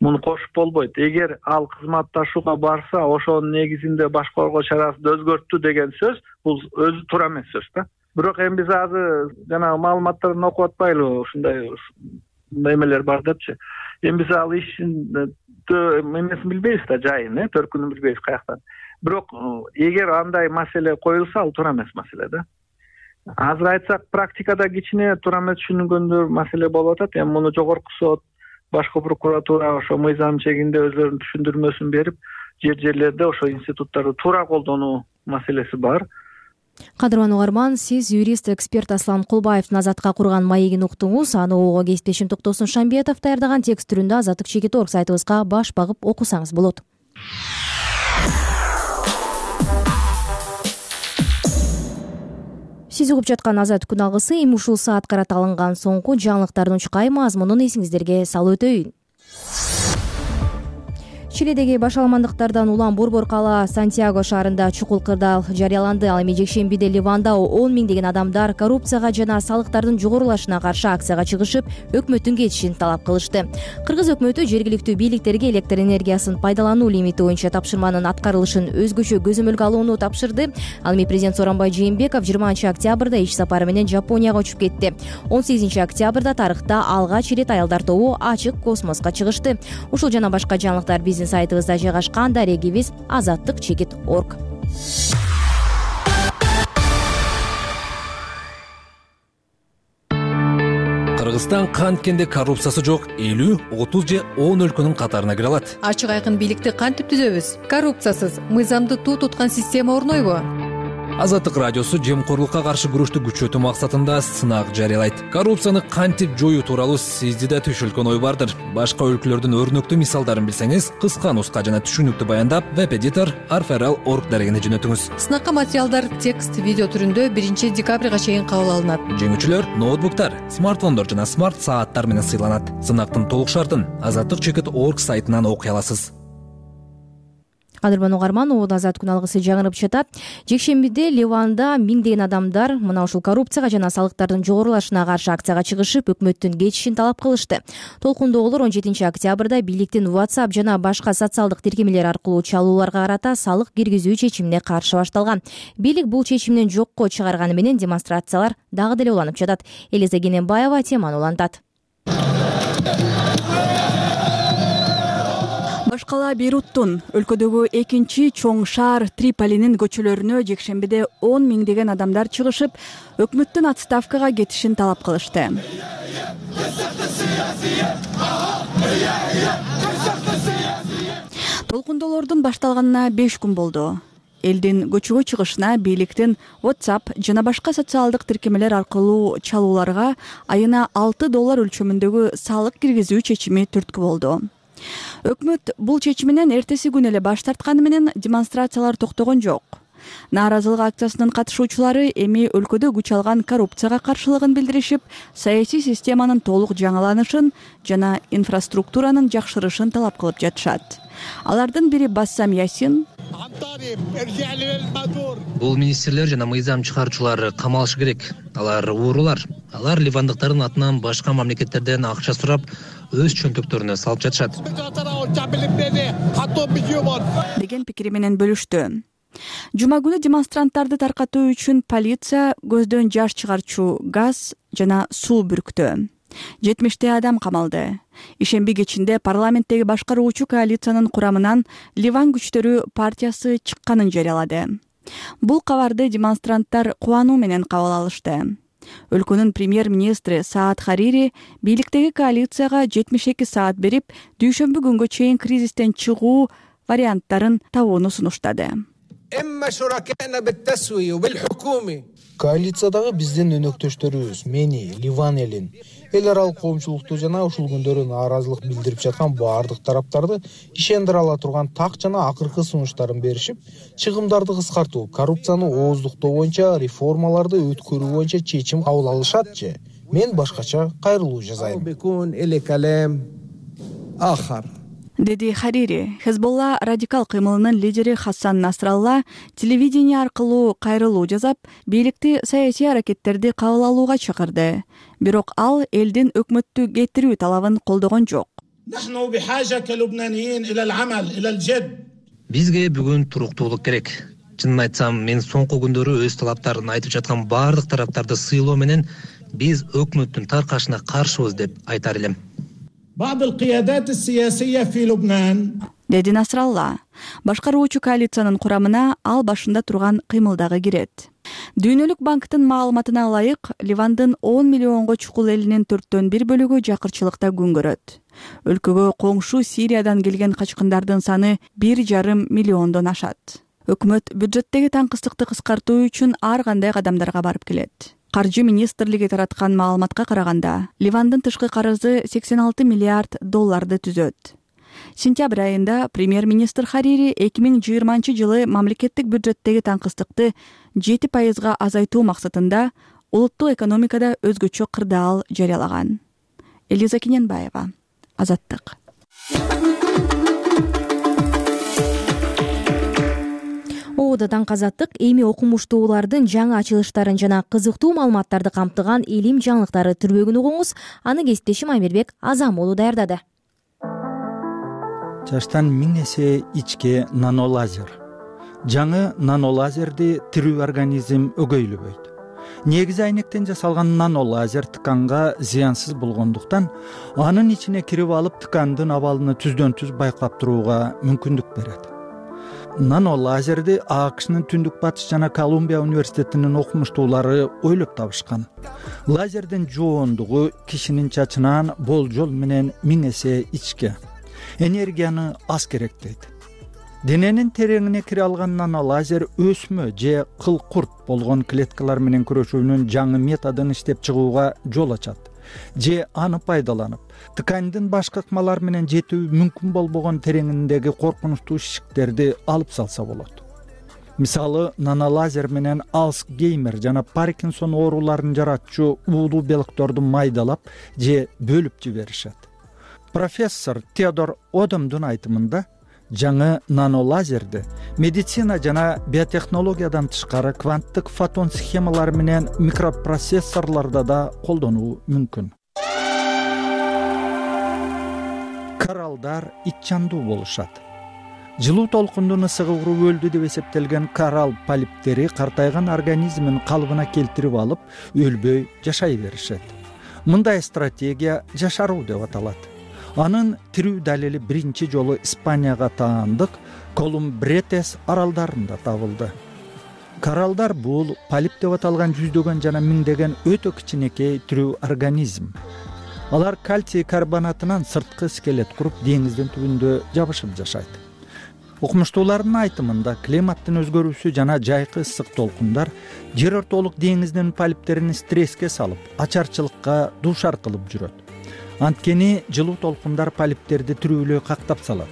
[SPEAKER 11] Муну кошуп болбойт. Эгер ал кызматташууга барса, ошонун негизинде баш коргоо чарасын өзгөрттү деген сөз, бул өзү туура эмес сөз да. Бирок эми биз азыр жанагы маалыматтарын окуп атпайлыбы, ушундай эмелер бар депчи. Эми биз ал ишин эмесин билбейбиз да, жайын, э, төркүнүн билбейбиз каяктан. Бирок эгер андай маселе коюлса, ал туура эмес маселе да. Азыр айтсак, практикада кичине туура эмес түшүнгөндөр маселе болуп атат. Эми муну жогорку сот, башкы прокуратура ошо мыйзам чегинде өзлөрүнүн түшүндүрмөсүн берип, жер жерлерде ошо институттарды туура колдонуу маселеси бар.
[SPEAKER 2] Кадырман угарман, сиз юрист эксперт Аслан Кулбаевдин Азаттыкка курган маегин уктуңуз. Аны угууга кесиптешим Токтосун Шамбетов даярдаган текст түрүндө азаттык чекит точка орг сайтыбызга баш багып окусаңыз болот. Сиз угуп жаткан Азаттык күн алгысы эми ушул саат карата алынган соңку жаңылыктардын чукай мазмунун эсиңиздерге салып өтөйүн. Чилидеги башаламандыктардан улам борбор кала Сантьяго шаарында чукул кырдаал жарыяланды. Ал эми жекшембиде Ливанда он миңдеген адамдар коррупцияга жана салыктардын жогорулашына каршы акцияга чыгышып, өкмөттүн кетишин талап кылышты. Кыргыз өкмөтү жергиликтүү бийликтерге электр энергиясын пайдалануу лимити боюнча тапшырманын аткарылышын өзгөчө көзөмөлгө алууну тапшырды. Ал эми президент Сооронбай Жээнбеков жыйырманчы октябрда иш сапары менен Жапонияга учуп кетти. он сегизинчи октябрда тарыхта алгач ирет аялдар тобу ачык космоско чыгышты. Ушул жана башка жаңылыктар биздин сайтыбызда жайгашкан. Дарегибиз азаттык чекит точка орг.
[SPEAKER 12] Кыргызстан канткенде коррупциясы жок элүү, отуз же он өлкөнүн катарына кире алат.
[SPEAKER 13] Ачык айкын бийликти кантип түзөбүз? Коррупциясыз мыйзамды туу туткан система орнойбу?
[SPEAKER 12] Азаттык радиосу жемкорлукка каршы күрөштү күчөтүү максатында сынак жарыялайт. Коррупцияны кантип жоюу тууралуу сизде да түшүлгөн ой бардыр. Башка өлкөлөрдүн өрнөктүү мисалдарын билсеңиз, кыска нуска жана түшүнүктүү баяндап веб-эдитор арферал точка орг дарегине жөнөтүңүз.
[SPEAKER 13] Сынакка материалдар текст, видео түрүндө биринчи декабрга чейин кабыл алынат.
[SPEAKER 12] Жеңүүчүлөр ноутбуктар, смартфондор жана смарт сааттар менен сыйланат. Сынактын толук шартын азаттык чекит точка орг сайтынан окуй аласыз.
[SPEAKER 2] Кадырман угарман, ууда азаттык күн алгысы жаңырып жатат. Жекшембиде Ливанда миңдеген адамдар мына ушул коррупцияга жана салыктардын жогорулашына каршы акцияга чыгышып, өкмөттүн кетишин талап кылышты. Толкундоолор он жетинчи октябрда бийликтин WhatsApp жана башка социалдык тиркемелер аркылуу чалууларга карата салык киргизүү чечимине каршы башталган. Бийлик бул чечимден жокко чыгарганы менен демонстрациялар дагы деле уланып жатат. Элиза Кененбаева теманы улантат.
[SPEAKER 4] Баш кала Бейруттун өлкөдөгү экинчи чоң шаар Триполинин көчөлөрүнө жекшембиде он миңдеген адамдар чыгышып, өкмөттүн отставкага кетишин талап кылышты. Толкундоолордун башталганына беш күн болду. Элдин көчөгө чыгышына бийликтин WhatsApp жана башка социалдык тиркемелер аркылуу чалууларга айына алты доллар өлчөмүндөгү салык киргизүү чечими түрткү болду. Өкмөт бул чечиминен эртеси күнү эле баш тартканы менен демонстрациялар токтогон жок. Нааразылык акциясынын катышуучулары эми өлкөдө күч алган коррупцияга каршылыгын билдиришип, саясий системанын толук жаңыланышын жана инфраструктуранын жакшырышын талап кылып жатышат. Алардын бири Бассам Ясин:
[SPEAKER 14] бул министрлер жана мыйзам чыгаруучулар камалышы керек. Алар уурулар. Алар ливандыктардын атынан башка мамлекеттерден акча сурап, өз чөнтөктөрүнө салып жатышат
[SPEAKER 4] деген пикири менен бөлүштү. Жума күнү демонстранттарды таркатуу үчүн полиция көздөн жаш чыгарчу газ жана суу бүрктү. жетимиштей адам камалды. Ишемби кечинде парламенттеги башкаруучу коалициянын курамынан Ливан күчтөрү партиясы чыкканын жарыялады. Бул кабарды демонстранттар кубануу менен кабыл алышты. Өлкөнүн премьер-министри Саад Харири бийликтеги коалицияга жетимиш эки саат берип, дүйшөмбү күнгө чейин кризистен чыгуу варианттарын табууну сунуштады.
[SPEAKER 7] Коалициядагы биздин өнөктөштөрүбүз мени, Ливан элин, эл аралык коомчулукту жана ушул күндөрү нааразылык билдирип жаткан баардык тараптарды ишендире ала турган так жана акыркы сунуштарын беришип, чыгымдарды кыскартуу, коррупцияны ооздуктоо боюнча реформаларды өткөрүү боюнча чечим кабыл алышат же. Мен башкача кайрылуу жасайм,
[SPEAKER 4] деди Харири. Хезболла радикал кыймылынын лидери Хасан Насралла телевидение аркылуу кайрылуу жасап, бийликти саясий аракеттерди кабыл алууга чакырды. Бирок ал элдин өкмөттү кетирүү талабын колдогон жок.
[SPEAKER 14] Бизге бүгүн туруктуулук керек. Чынын айтсам, мен соңку күндөрү өз талаптарын айтып жаткан баардык тараптарды сыйлоо менен биз өкмөттүн таркашына каршыбыз деп айтар элем.
[SPEAKER 4] деди Насралла. Башкаруучу коалициянын курамына ал башында турган кыймылдагы кирет. Дүйнөлүк банктын маалыматына ылайык, Ливандын он миллионго чукул элинин төрттөн бир бөлүгү жакырчылыкта күн көрөт. Өлкөгө коңшу Сириядан келген качкындардын саны бир жарым миллиондон ашат. Өкмөт бюджеттеги таңкыстыкты кыскартуу үчүн ар кандай кадамдарга барып келет. Каржы министрлиги тараткан маалыматка караганда, Ливандын тышкы карызы сексен алты миллиард долларды түзөт. Сентябрь айында премьер-министр Харири эки миң жыйырманчы жылы мамлекеттик бюджеттеги таңкыстыкты жети пайызга азайтуу максатында улуттук экономикада өзгөчө кырдаал жарыялаган. Элиза Кененбаева, Азаттык.
[SPEAKER 2] Оодо таңкы Азаттык эми окумуштуулардын жаңы ачылыштарын жана кызыктуу маалыматтарды камтыган илим жаңылыктары түрбөгүн угуңуз. Аны кесиптешим Аймербек Азамолу даярдады.
[SPEAKER 15] Жаштан миң эсе ичке нанолазер. Жаңы нанолазерди тирүү организм өгөйлөбөйт. Негизи айнектен жасалган нанолазер тканга зыянсыз болгондуктан, анын ичине кирип алып ткандын абалын түздөн түз байкап турууга мүмкүндүк берет. Нанолазерди АКШнын Түндүк Батыш жана Колумбия университетинин окумуштуулары ойлоп табышкан. Лазердин жоондугу кишинин чачынан болжол менен миң эсе ичке. Энергияны аз керек дейт. Дененин тереңине кире алган нанолазер өсмө же кыл-курт болгон клеткалар менен күрөшүүнүн жаңы методун иштеп чыгууга жол ачат. Же аны пайдаланып, ткандын башка ыкмалар менен жетүү мүмкүн болбогон тереңиндеги коркунучтуу шишиктерди алып салса болот. Мисалы, нанолазер менен Алцгеймер жана Паркинсон ооруларын жаратчу уулуу белокторду майдалап же бөлүп жиберишет. Профессор Теодор Одомдун айтымында, жаңы нанолазерди медицина жана биотехнологиядан тышкары кванттык фотон схемалары менен микропроцессорлордо да колдонуу мүмкүн. Коралдар итчандуу болушат. Жылуу толкундун ысыгы уруп өлдү деп эсептелген коралл полиптери картайган организмин калыбына келтирип алып, өлбөй жашай беришет. Мындай стратегия жашаруу деп аталат. Анын тирүү далили биринчи жолу Испанияга таандык Колумбретес аралдарында табылды. Коралдар бул полип деп аталган жүздөгөн жана миңдеген өтө кичинекей тирүү организм. Алар кальций карбонатынан сырткы скелет куруп, деңиздин түбүндө жабышып жашайт. Окумуштуулардын айтымында, климаттын өзгөрүүсү жана жайкы ысык толкундар жер ортолук деңиздин полиптерин стресске салып, ачарчылыкка дуушар кылып жүрөт. Анткени жылуу толкундар полиптерди тирүүлөй кактап салат.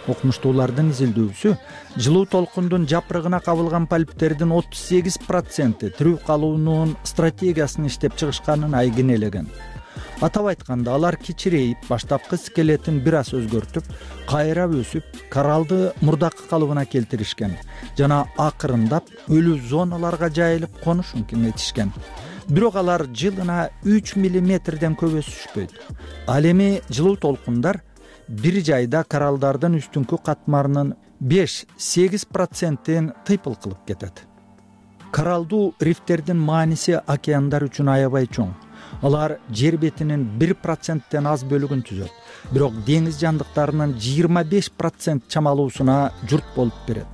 [SPEAKER 15] Окумуштуулардын изилдөөсү жылуу толкундун жапырыгына кабылган полиптердин отуз сегиз проценти тирүү калуунун стратегиясын иштеп чыгышканын айгинелеген. Атап айтканда, алар кичирейип, баштапкы скелетин бир аз өзгөртүп, кайра өсүп, кораллды мурдакы калыбына келтиришкен жана акырындап өлүү зоналарга жайылып конушун кеңейтишкен. Бирок алар жылына үч миллиметрден көп өсүшпөйт. Ал эми жылуу толкундар бир жайда кораллдардын үстүнкү катмарынын беш-сегиз процентин тыйпыл кылып кетет. Кораллдуу рифтердин мааниси океандар үчүн аябай чоң. Алар жер бетинин бир проценттен аз бөлүгүн түзөт. Бирок деңиз жандыктарынын жыйырма беш процент чамалуусуна журт болуп берет.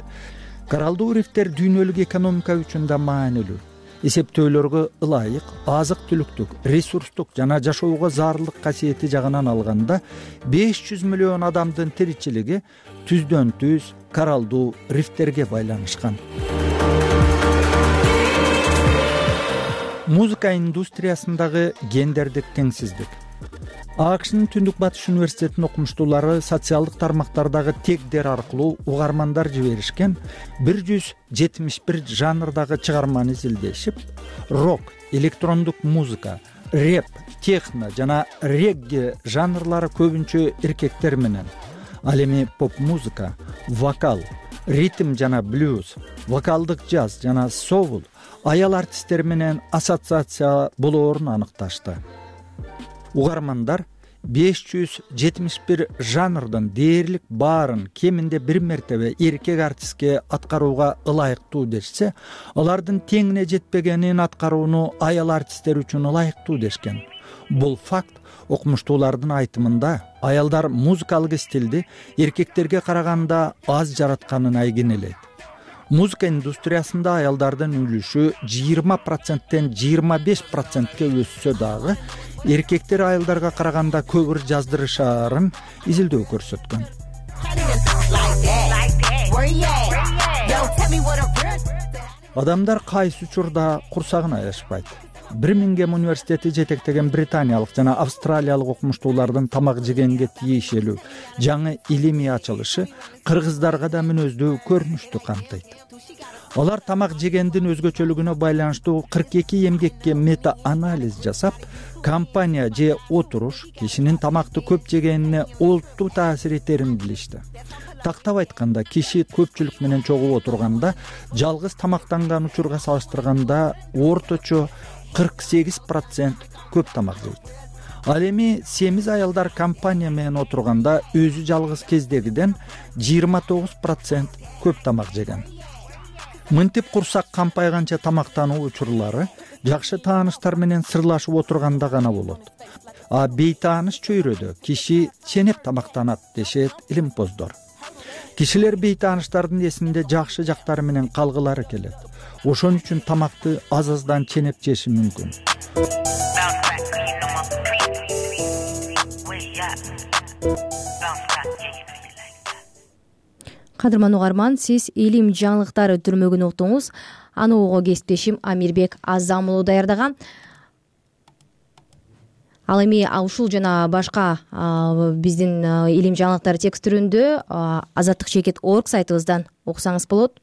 [SPEAKER 15] Кораллдуу рифтер дүйнөлүк экономика үчүн да маанилүү. Эсептөөлөргө ылайык, азык-түлүктүк, ресурстук жана жашоого зарылдык касиети жагынан алганда беш жүз миллион адамдын тиричилиги түздөн түз кораллдуу рифтерге байланышкан. Музыка индустриясындагы гендердик теңсиздик. АКШнын Түндүк Батыш университетинин окумуштуулары социалдык тармактардагы тегдер аркылуу угармандар жиберишкен бир жүз жетимиш бир жанрдагы чыгарманы изилдешип, рок, электрондук музыка, рэп, техно жана регги жанрлары көбүнчө эркектер менен, ал эми поп-музыка, вокал, ритм жана блюз, вокалдык джаз жана соул аял артисттер менен ассоциация болоорун аныкташты. Угармандар беш жүз жетимиш бир жанрдын дээрлик баарын кеминде бир мертебе эркек артистке аткарууга ылайыктуу дешсе, алардын теңине жетпегенин аткарууну аял артисттер үчүн ылайыктуу дешкен. Бул факт окумуштуулардын айтымында аялдар музыкалык стилди эркектерге караганда аз жаратканын айгинелейт. Музыка индустриясында аялдардын үлүшү жыйырма проценттен жыйырма беш процентке өссө дагы эркектер аялдарга караганда көбүр жаздырышаарын изилдөө көрсөткөн. Адамдар кайсы учурда курсагын аяшпайт. Бирмингем университети жетектеген британиялык жана австралиялык окумуштуулардын тамак жегенге тиешелүү жаңы илимий ачылышы кыргыздарга да мүнөздүү көрүнүштү камтыйт. Алар тамак жегендин өзгөчөлүгүнө байланыштуу кырк эки эмгекке мета-анализ жасап, компания же отуруш кишинин тамакты көп жегенине олуттуу таасир этерин билишти. Тактап айтканда, киши көпчүлүк менен чогуу отурганда жалгыз тамактанган учурга салыштырганда орточо кырк сегиз процент көп тамак жейт. Ал эми семиз аялдар компания менен отурганда өзү жалгыз кездегиден жыйырма тогуз процент көп тамак жеген. Мынтип курсак кампайганча тамактануу учурлары жакшы тааныштар менен сырлашып отурганда гана болот. А бейтааныш чөйрөдө киши ченеп тамактанат дешет илимпоздор. Кишилер бейтааныштардын эсинде жакшы жактары менен калгылары келет. Ошон үчүн тамакты аз-аздан ченеп жеши мүмкүн.
[SPEAKER 2] Кадырман угарман, сиз илим жаңылыктары түрмөгүн уктуңуз. Аны угуу кесиптешим Амирбек Азам уулу даярдаган. Ал эми ушул жана башка биздин илим жаңылыктары текст түрүндө азаттык чекит точка орг сайтыбыздан окусаңыз болот.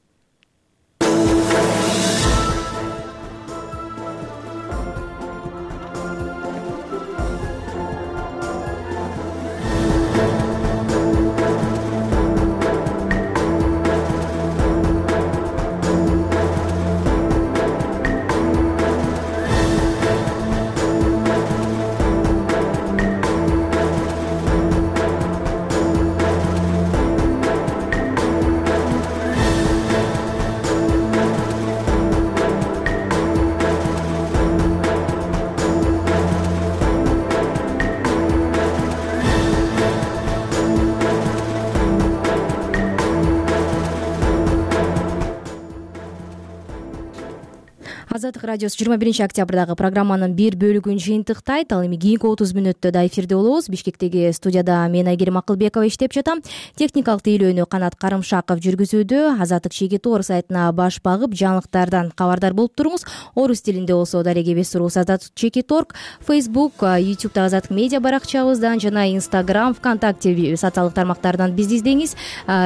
[SPEAKER 2] Азаттык радиосу жыйырма биринчи октябрдагы программанын бир бөлүгүн жыйынтыктайт. Ал эми кийинки отуз мүнөттө да эфирде болобуз. Бишкектеги студияда мен Айгерим Акылбекова иштеп жатам. Техникалык тейлөөнү Канат Карымшаков жүргүзүүдө. Азаттык Чекит Орус сайтына баш багып, жаңылыктардан кабардар болуп туруңуз. Орус тилинде болсо дареге бес суруу Азаттык Чекит орг, Facebook, YouTube'да Азаттык медиа баракчабыздан жана Instagram, ВКонтакте социалдык тармактардан бизди издеңиз.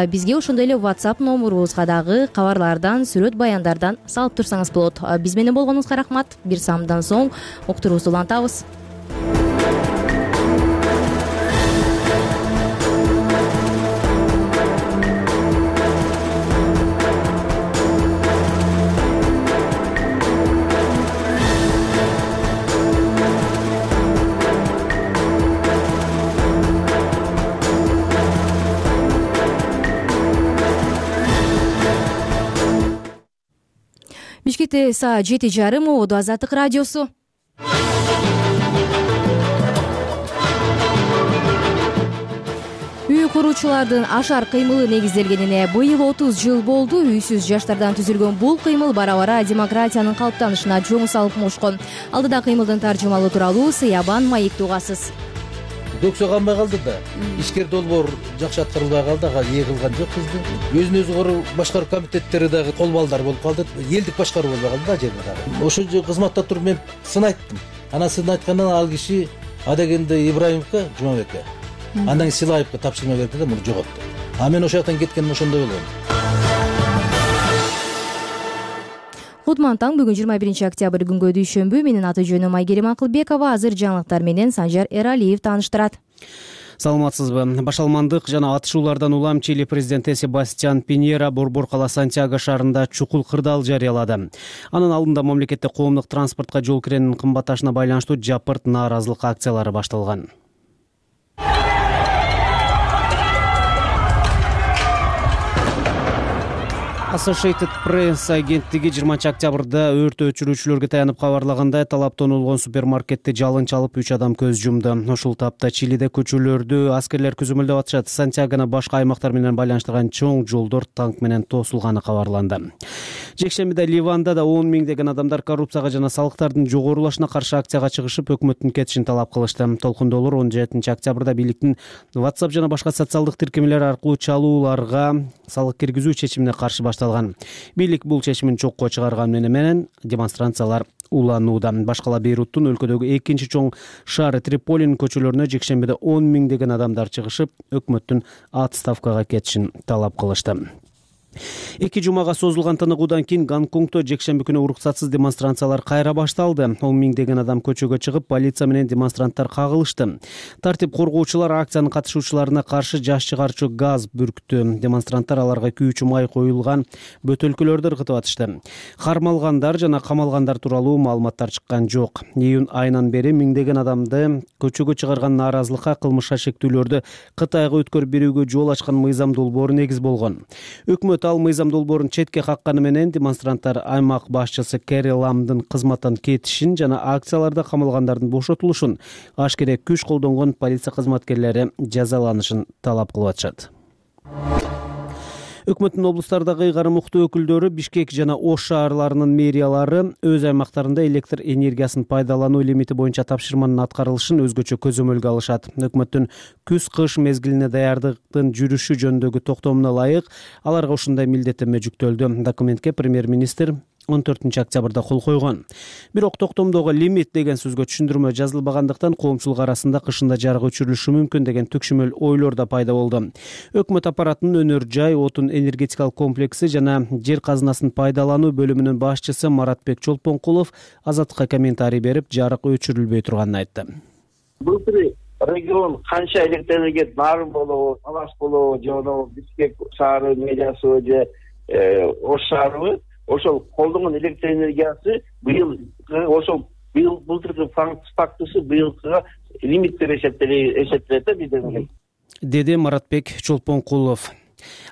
[SPEAKER 2] Бизге ошондой эле WhatsApp номурубузга дагы кабарлардан, сүрөт баяндардан салып турсаңыз болот. Биз менен болгонуңузга рахмат. Бир саамдан соң уктуруубузду улантабыз. Бишкекте саат жети жарым, ободо Азаттык радиосу. Үй куруучулардын ашар кыймылы негизделгенине быйыл отуз жыл болду. Үйсүз жаштардан түзүлгөн бул кыймыл бара-бара демократиянын калыптанышына жоң салып мушкон. Алдыда кыймылдын таржымалоо тууралуу Сыябан Маекти угасыз.
[SPEAKER 16] Көксө канбай калды да, ишкер долбоор жакшы аткарылбай калды, ага ээ кылган жок бизди. Өзүн өзү короо башкаруу комитеттери дагы кол балдар болуп калды. Элдик башкаруу болбой калды да жерде дагы. Ошо кызматта туруп мен сын айттым. Анан сын айткандан ал киши Адегенде Ибраимовго, Жумабекке, андан Силаевге тапшырма берди да муну жоготту. А мен ошол жактан кеткеним ошондой болгон.
[SPEAKER 2] Кутман таң, бүгүн жыйырма биринчи октябрь күнгө дүйшөмбү. Менин аты жөнүм Айгерим Акылбекова. Азыр жаңылыктар менен Санжар Эралиев тааныштырат.
[SPEAKER 5] Саламатсызбы. Башалмандык жана атышуулардан улам Чили президенти Себастьян Пиньера Борбор кала Сантьяго шаарында чукул кырдаал жарыялады. Анын алдында мамлекетте коомдук транспортко жол киренин кымбатташына байланыштуу жапырт нааразылык акциялары башталган. Associated Press агенттиги жыйырманчы октябрда өрт өчүрүүчүлөргө таянып кабарлагандай, талаптан улгон супермаркетти жалын чалып үч адам көз жумду. Ушул тапта Чилиде көчөлөрдү аскерлер күзөмөлдөп атышат. Сантьягоны башка аймактар менен байланыштырган чоң жолдор танк менен тосулганы кабарланды. Жекшембиде Ливанда да он миңдеген адамдар коррупцияга жана салыктардын жогорулашына каршы акцияга чыгышып, өкмөттүн кетишин талап кылышты. Толкундоолор он жетинчи октябрда бийликтин WhatsApp жана башка социалдык тиркемелер аркылуу чалууларга салык киргизүү чечимине каршы башталган. Бийлик бул чечимин чокко чыгарганы менен демонстрациялар уланууда. Башкала Бейруттун өлкөдөгү экинчи чоң шаары Триполинин көчөлөрүнө жекшембиде он миңдеген адамдар чыгышып, өкмөттүн отставкага кетишин талап кылышты. Эки жумага созулган тыныгуудан кийин Гонконгдо жекшемби күнү уруксатсыз демонстрациялар кайра башталды. он миңдеген адам көчөгө чыгып, полиция менен демонстранттар кагылышты. Тартип коргоочулар акциянын катышуучуларына каршы жаш чыгарчу газ бүрктү. Демонстранттар аларга күйүүчү май коюлган бөтөлкөлөрдү ыргытып атышты. Кармалгандар жана камалгандар тууралуу маалыматтар чыккан жок. Июнь айынан бери миңдеген адамды көчөгө чыгарган нааразылыкка кылмышка шектүүлөрдү Кытайга өткөрүп берүүгө жол ачкан мыйзам долбоору негиз болгон. Өкмөт ал мыйзам долбоорун четке какканы менен демонстранттар аймак башчысы Кэри Ламдын кызматтан кетишин жана акцияларда камалгандардын бошотулушун, ашкере күч колдонгон полиция кызматкерлери жазаланышын талап кылып атышат. Өкмөттүн облустардагы ыйгарым уктуу өкүлдөрү Бишкек жана Ош шаарларынын мэриялары өз аймактарында электр энергиясын пайдалануу лимити боюнча тапшырманын аткарылышын өзгөчө көзөмөлгө алышат. Өкмөттүн күз-кыш мезгилине даярдыктын жүрүшү жөнүндөгү токтомуна ылайык аларга ушундай милдеттенме жүктөлдү. Документке премьер-министр он төртүнчү октябрда кол койгон. Бирок токтомдогу лимит деген сөзгө түшүндүрмө жазылбагандыктан коомчулук арасында кышында жарык өчүрүлүшү мүмкүн деген түкшүмөл ойлор да пайда болду. Өкмөт аппаратынын өнөр жай, отун энергетикалык комплекси жана жер казынасын пайдалануу бөлүмүнүн башчысы Маратбек Чолпонкулов Азаттыкка комментарий берип, жарык өчүрүлбөй турганын айтты.
[SPEAKER 6] Былтыр регион канча электр энергия нарым болобу, Талас болобу, же Бишкек шаары медиасы же Ош шаары ошол колдонгон электр энергиясы быйыл ошол быйыл былтыркы фактысы быйылкыга лимиттер эсептелет да бизден,
[SPEAKER 5] деди Маратбек Чолпонкулов.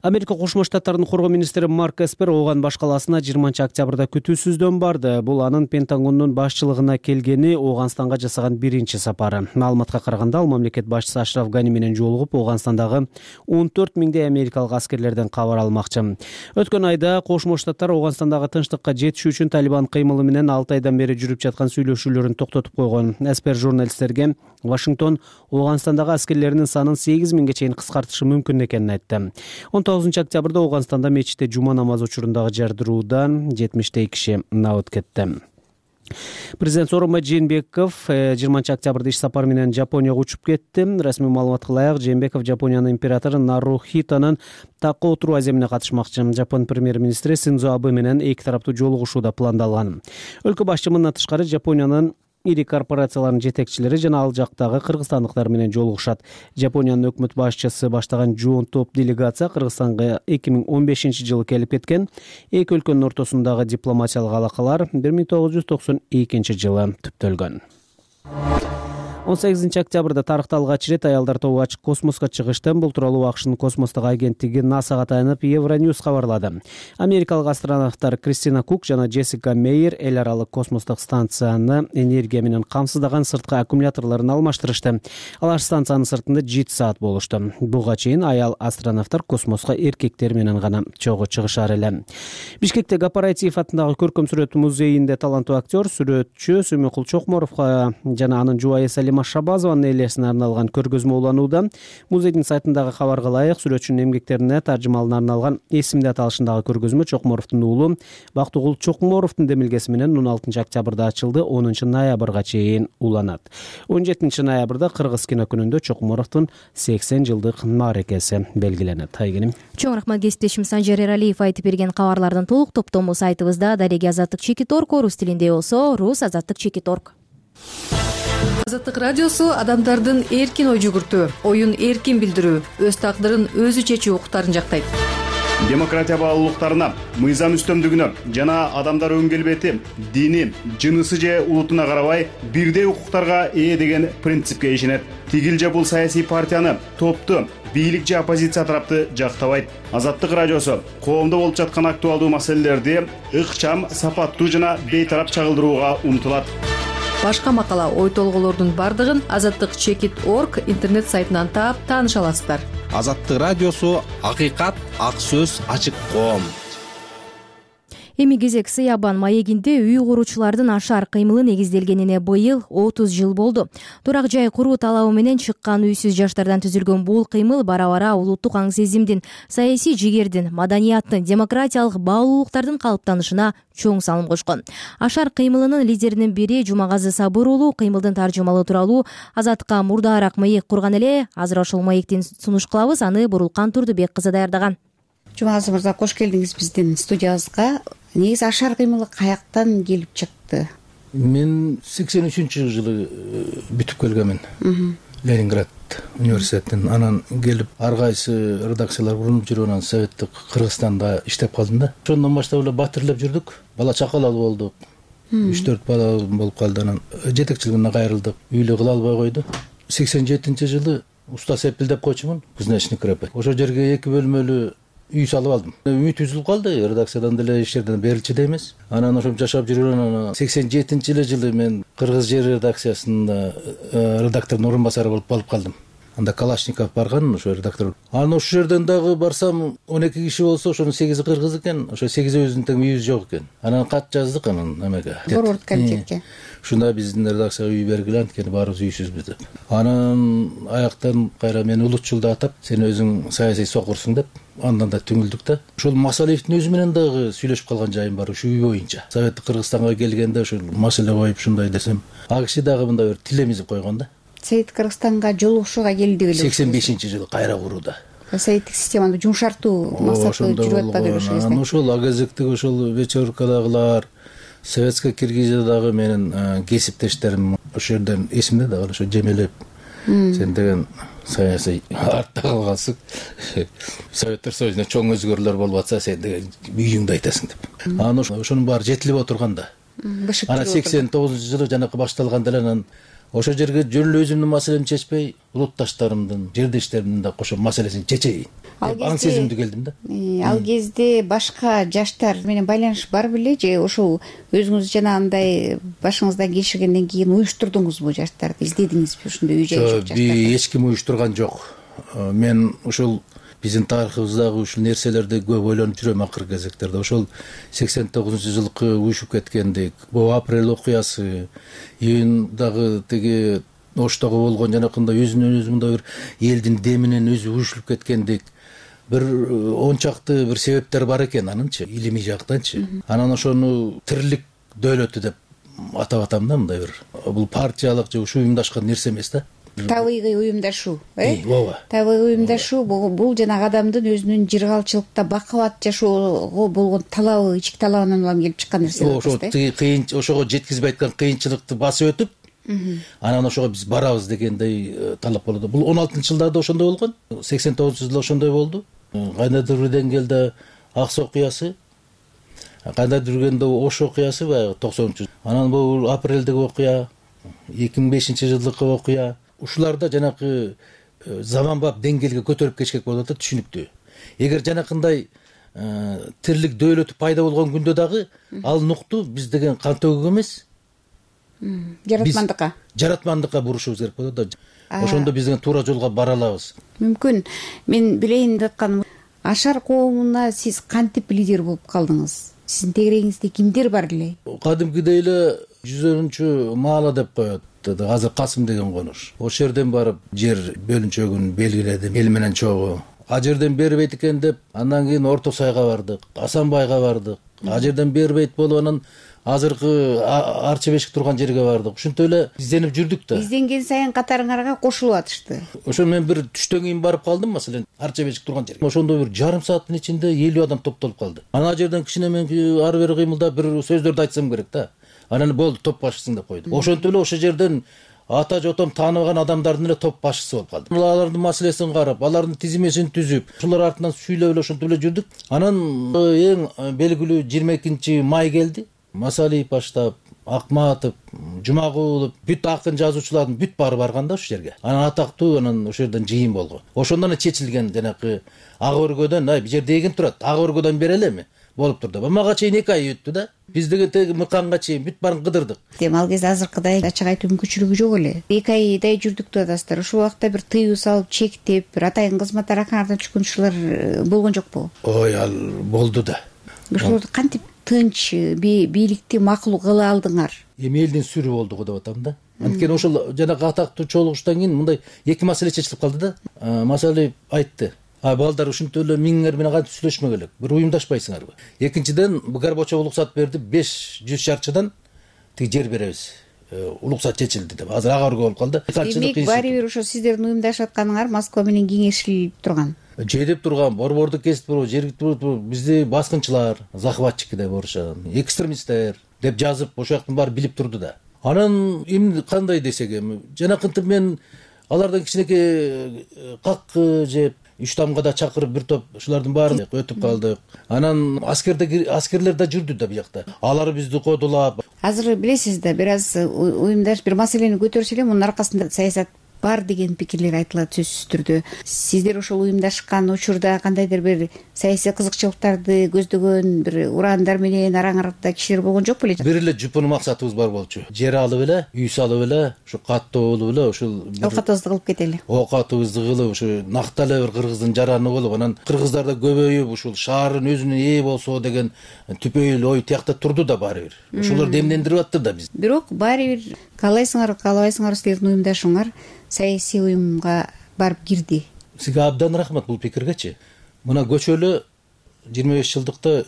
[SPEAKER 5] Америка Кошмо Штаттарынын коргоо министри Марк Эспер Ооган баш калаасына жыйырманчы октябрда күтүүсүздөн барды. Бул анын Пентагондун башчылыгына келгени Ооганстанга жасаган биринчи сапары. Маалыматка караганда ал мамлекет башчысы Ашраф Гани менен жолугуп, Оогандстандагы он төрт миңдей америкалык аскерлерден кабар алмакчы. Өткөн айда Кошмо Штаттар Ооганстандагы тынчтыкка жетишүү үчүн Талибан кыймылы менен алты айдан бери жүрүп жаткан сүйлөшүүлөрүн токтотуп койгон. Эспер журналисттерге Вашингтон Ооганстандагы аскерлеринин санын сегиз миңге чейин кыскартышы мүмкүн экенин айтты. он тогузунчу октябрда Ооганстанда мечитте жума намазы учурундагы жардыруудан жетимиштей киши набыт кетти. Президент Сооронбай Жээнбеков жыйырманчы октябрда иш сапары менен Жапонияга учуп кетти. Расмий маалыматка ылайык, Жээнбеков Жапониянын императору Нарухитонун такка отуруу аземине катышмакчы. Жапон премьер-министри Синдзо Абэ менен эки тараптуу жолугушуу да пландалган. Өлкө башчы мындан тышкары Жапониянын ири корпорацияларынын жетекчилери жана ал жактагы кыргызстандыктар менен жолугушат. Жапониянын өкмөт башчысы баштаган жоон топ делегация Кыргызстанга эки миң он бешинчи жылы келип кеткен. Эки өлкөнүн ортосундагы дипломатиялык алакалар бир миң тогуз жүз токсон экинчи жылы түптөлгөн. он сегизинчи октябрда тарыхта алгач ирет аялдар тобу ачык космоско чыгышты. Бул тууралуу АКШнын космостук агенттиги насага таянып Евроньюз кабарлады. Америкалык астронавттар Кристина Кук жана Джессика Мейер эл аралык космостук станцияны энергия менен камсыздаган сырткы аккумуляторлорун алмаштырышты. Алар станциянын сыртында жети саат болушту. Буга чейин аял астронавттар космоско эркектер менен гана чогуу чыгышар эле. Бишкекте Гапараитиев атындагы көркөм сүрөт музейинде таланттуу актер, сүрөтчү Сүмөкул Чокморовго жана анын жубайы Шабазованын элесине арналган көргөзмө уланууда. Музейдин сайтындагы кабарга ылайык, сүрөтчүнүн эмгектерине таржымалына арналган эсимде аталышындагы көргөзмө Чокморовдун уулу Бактыгул Чокморовдун демилгеси менен он алтынчы октябрда ачылды, онунчу ноябрга чейин уланат. он жетинчи ноябрда Кыргыз кино күнүндө Чокморовдун сексен жылдык мааракеси белгиленет. Айгеним.
[SPEAKER 2] Чоң рахмат кесиптешим Санжар Эралиев айтып берген кабарлардын толук топтому сайтыбызда. Дареги Азаттык Чекит орг орус тилинде болсо, рус Азаттык Чекит орг.
[SPEAKER 13] Азаттык радиосу адамдардын эркин ой жүгүртүү, оюн эркин билдирүү, өз тагдырын өзү чечүү укуктарын жактайт.
[SPEAKER 17] Демократия баалуулуктарына, мыйзам үстөмдүгүнө жана адамдар өң келбети, дини, жынысы же улутуна карабай бирдей укуктарга ээ деген принципке ишенет. Тигил же бул саясий партияны, топту, бийлик же оппозиция тарапты жактабайт. Азаттык радиосу коомдо болуп жаткан актуалдуу маселелерди ыкчам, сапаттуу жана бейтарап чагылдырууга умтулат.
[SPEAKER 13] Башка макала, ой толголордун бардыгын азаттык чекит орг интернет сайтынан таап тааныша аласыздар.
[SPEAKER 18] Азаттык радиосу акыйкат, ак сөз, ачык коом.
[SPEAKER 2] Эми кезек Сыябан маегинде үй куруучулардын ашар кыймылы негизделгенине быйыл отуз жыл болду. Турак жай куруу талабы менен чыккан үйсүз жаштардан түзүлгөн бул кыймыл бара-бара улуттук аң сезимдин, саясий жигердин, маданияттын, демократиялык баалуулуктардын калыптанышына чоң салым кошкон. Ашар кыймылынын лидеринин бири Жумагазы Сабыр уулу кыймылдын таржымалы тууралуу Азаттыкка мурдаараак маек курган эле. Азыр ошол маектин сунуш кылабыз, аны Бурулкан Турдубек кызы даярдаган.
[SPEAKER 19] Жумагазы мырза, кош келдиңиз биздин студиябызга. Негизи ашар кыймылы каяктан келип чыкты?
[SPEAKER 16] Мен сексен үчүнчү жылы бүтүп келгенмин. Ленинград университетинен. Анан келип ар кайсы редакциялар курулуп жүрүп, анан советтик Кыргызстанда иштеп калдым да. Ошондон баштап эле батирлеп жүрдүк. Бала чакалал болдук. үч төрт бала болуп калды. Анан жетекчилигине кайрылдык. Үйлүү кыла албай койду. сексен жетинчи жылы уста сепилдеп койчумун. Кузнечный крепость. Ошол жерге эки бөлмөлүү үй салып алдым. Үмүт үзүлүп калды, редакциядан деле иштерден берилчү да эмес. Анан ошо жашап жүргөн сексен жетинчи жылы мен Кыргыз жери редакциясында редактордун орун басары болуп алып калдым. Анда Калашников барган, ошо редактор. Анан ошол жерден дагы барсам он эки киши болсо, ошонун сегизи кыргыз экен, ошо сегизибиздин тең үйүбүз жок экен. Анан кат жаздык анан эмеге.
[SPEAKER 19] Борбордук комитетке.
[SPEAKER 16] Ушунда биздин редакцияга үй бергиле, анткени баарыбыз үйсүзбүз деп. Анан аяктан кайра мени улутчулда атап, сен өзүң саясий сокурсуң деп, андан да түңүлдүк да. Ошол Масалиевдин өзү менен дагы сүйлөшүп калган жайым бар ушу үй боюнча. Советтик Кыргызстанга келгенде ошол маселе коюп ушундай десем, ал киши дагы мындай бир тилемизип койгон да.
[SPEAKER 19] Советтик Кыргызстанга жолугушууга келди беле.
[SPEAKER 16] сексен бешинчи жылы кайра курууда.
[SPEAKER 19] Советтик системаны жумшартуу максаты жүрүп атпайбы ошол кезде?
[SPEAKER 16] Ошол агезектеги ошол вечеркадагылар, Советская Киргизиядагы менин кесиптештерим ошол жерден эсимде дагы ошо жемелеп, сен деген саясий артта калгансың. Советтер Союзунда чоң өзгөрүүлөр болуп атса, сен деген үйүңдү айтасың деп. Анан ошонун баары жетилип отурганда. Анан сексен тогузунчу жылы жанакы башталганда эле анан ошол жерге жөн эле өзүмдүн маселемди чечпей улутташтарымдын жердештеримдин да кошо маселесин чечейин деп аң сезимдүү келдим да.
[SPEAKER 19] Ал кезде башка жаштар менен байланыш бар беле же ошол өзүңүз жанагындай башыңыздан кечиргенден кийин уюштурдуңузбу жаштарды, издедиңизби ушундай үй жай жок жаштарды?
[SPEAKER 16] Эч ким уюштурган жок. Мен ушул биздин тарыхыбыздагы ушул нерселерди көп ойлонуп жүрөм акыркы кезектерде. Ошол сексен тогузунчу жылкы уюшуп кеткендик, бул апрель окуясы, июндагы тиги Оштогу болгон жанакындай өзүнөн өзү мындай бир элдин деминен өзү уюшулуп кеткендик бир он чакты бир себептер бар экен анынчы, илимий жактанчы. Анан ошону тирлик дөөлөтү деп атап атам да, мындай бир. Бул партиялык же ушу уюмдашкан нерсе эмес да.
[SPEAKER 19] Табигый уюмдашуу, э?
[SPEAKER 16] Ооба.
[SPEAKER 19] Табигый уюмдашуу бул жанагы адамдын өзүнүн жыргалчылыкта бакубат жашоого болгон талабы, ички талабынан улам келип чыккан нерсе.
[SPEAKER 16] Ошо кыйын, ошого жеткизбей айткан кыйынчылыкты басып өтүп, анан ошого биз барабыз дегендей талап болду. Бул он алтынчы жылдарда ошондой болгон, сексен тогузунчу жылда ошондой болду. Кандайдыр бир деңгээлде Акс окуясы, кандайдыр биргенде Ош окуясы баягы токсонунчу. Анан бул апрелдеги окуя, эки миң бешинчи жылдыкы окуя. Ушуларда жанакы заманбап деңгээлге көтөрүп кетишкек болуп атат, түшүнүктүү. Эгер жанакындай тирлик дөөлөтү пайда болгон күндө дагы ал нукту биз деген кан төгүк эмес,
[SPEAKER 19] жаратмандыкка
[SPEAKER 16] жаратмандыкка бурушубуз керек болот да. Ошондо биз деген туура жолго бара алабыз.
[SPEAKER 19] Мүмкүн мен билейин деп атканым, Ашар коомуна сиз кантип лидер болуп калдыңыз? Сиздин тегерегиңизде кимдер бар эле?
[SPEAKER 16] Кадимкидей эле жүзөрүнчү маала деп коет. Азыр Касым деген конуш. Ошол жерден барып жер бөлүнчөгүн белгиледим, эл менен чогуу. А жерден бербейт экен деп, андан кийин Орто Сайга бардык, Асанбайга бардык. А жерден бербейт болуп анан азыркы Арча Бешик турган жерге бардык. Ушинтип эле изденип жүрдүк да.
[SPEAKER 19] Изденген сайын катарыңарга кошулуп атышты.
[SPEAKER 16] Ошо мен бир түштөн кийин барып калдым, маселен, Арча Бешик турган жерге. Ошондо бир жарым сааттын ичинде элүү адам топтолуп калды. Ана жерден кичине мен ары бери кыймылдап бир сөздөрдү айтсам керек да. Анан болду, топ башчысың деп койду. Ошентип эле ошол жерден ата жотом тааныбаган адамдардын эле топ башчысы болуп калдым. Алардын маселесин карап, алардын тизимесин түзүп, ушулар артынан сүйлөп эле ошентип эле жүрдүк. Анан эң белгилүү жыйырма экинчи май келди. Масалиев баштап, Акматов, Жумагулов, бүт акын жазуучулардын бүт баары барган да ошол жерге. Анан атактуу анан ошол жерден жыйын болгон. Ошондон эле чечилген жанакы ак өргөдөн, ай, бул жерде эгин турат, ак өргөдөн берелеми? Болуп турду. Мага чейин эки ай өттү да. Биз деген теги мыканга чейин бүт баарын кыдырдык.
[SPEAKER 19] Дем ал кезде азыркыдай ачык айтуу мүмкүнчүлүгү жок эле. эки айдай жүрдүк деп атасыздар. Ушул убакта бир тыюу салып, чектеп, бир атайын кызмат аракаңардан түшкөн ушулар болгон жокпу?
[SPEAKER 16] Ой, ал болду да.
[SPEAKER 19] Ушуларды кантип тынч бийликти макул кыла алдыңар?
[SPEAKER 16] Эми элдин сүрү болду го деп атам да. Анткени ошол жанагы атактуу чогулуштан кийин мындай эки маселе чечилип калды да. Масалиев айтты: А балдар ушинтип эле миңер менен кантип сүйлөшмөк элек? Бир уюмдашпайсыңарбы? Экинчиден, Горбачев уруксат берди, беш жүз шарчыдан тиги жер беребиз. Уруксат чечилди деп. Азыр ага өргө болуп калды.
[SPEAKER 19] Демек, баары бир ошо сиздердин уюмдашып атканыңар Москва менен кеңешилип турган.
[SPEAKER 16] Жедеп турган, борборду кесип туруп, жерги туруп, бизди баскынчылар, захватчики деп урушат, экстремисттер деп жазып, ошол жактын баары билип турду да. Анан эмне кандай десек эми, жанакынтип мен алардан кичинекей как жеп үч тамга да чакырып бир топ ушулардын баарын өтүп калдык. Анан аскерде аскерлер да жүрдү да бу жакта. Алар бизди кодулап.
[SPEAKER 19] Азыр билесиз да, бир аз уюмдаш бир маселени көтөрсө эле мунун аркасында саясат бар деген пикирлер айтылат сөзсүз түрдө. Сиздер ошол уюмдашкан учурда кандайдыр бир саясий кызыкчылыктарды көздөгөн бир ураандар менен араңарда кишилер болгон жокпу эле?
[SPEAKER 16] Бир эле жупун максатыбыз бар болчу. Жер алып эле, үй салып эле, ушу каттоо болуп эле, ушул
[SPEAKER 19] оокатыбызды кылып кетели.
[SPEAKER 16] Оокатыбызды кылып, ушу накта эле бир кыргыздын жараны болуп, анан кыргыздар да көбөйүп, ушул шаардын өзүнө ээ болсо деген түпөйүл ой тиякта турду да баары бир. Ушулар демдендирип атты да биз.
[SPEAKER 19] Бирок баары бир каалайсыңар, каалабайсыңар силердин уюмдашууңар саясий уюмга барып кирди.
[SPEAKER 16] Сизге абдан рахмат бул пикиргечи. Мына көчөлө жыйырма беш жылдыкта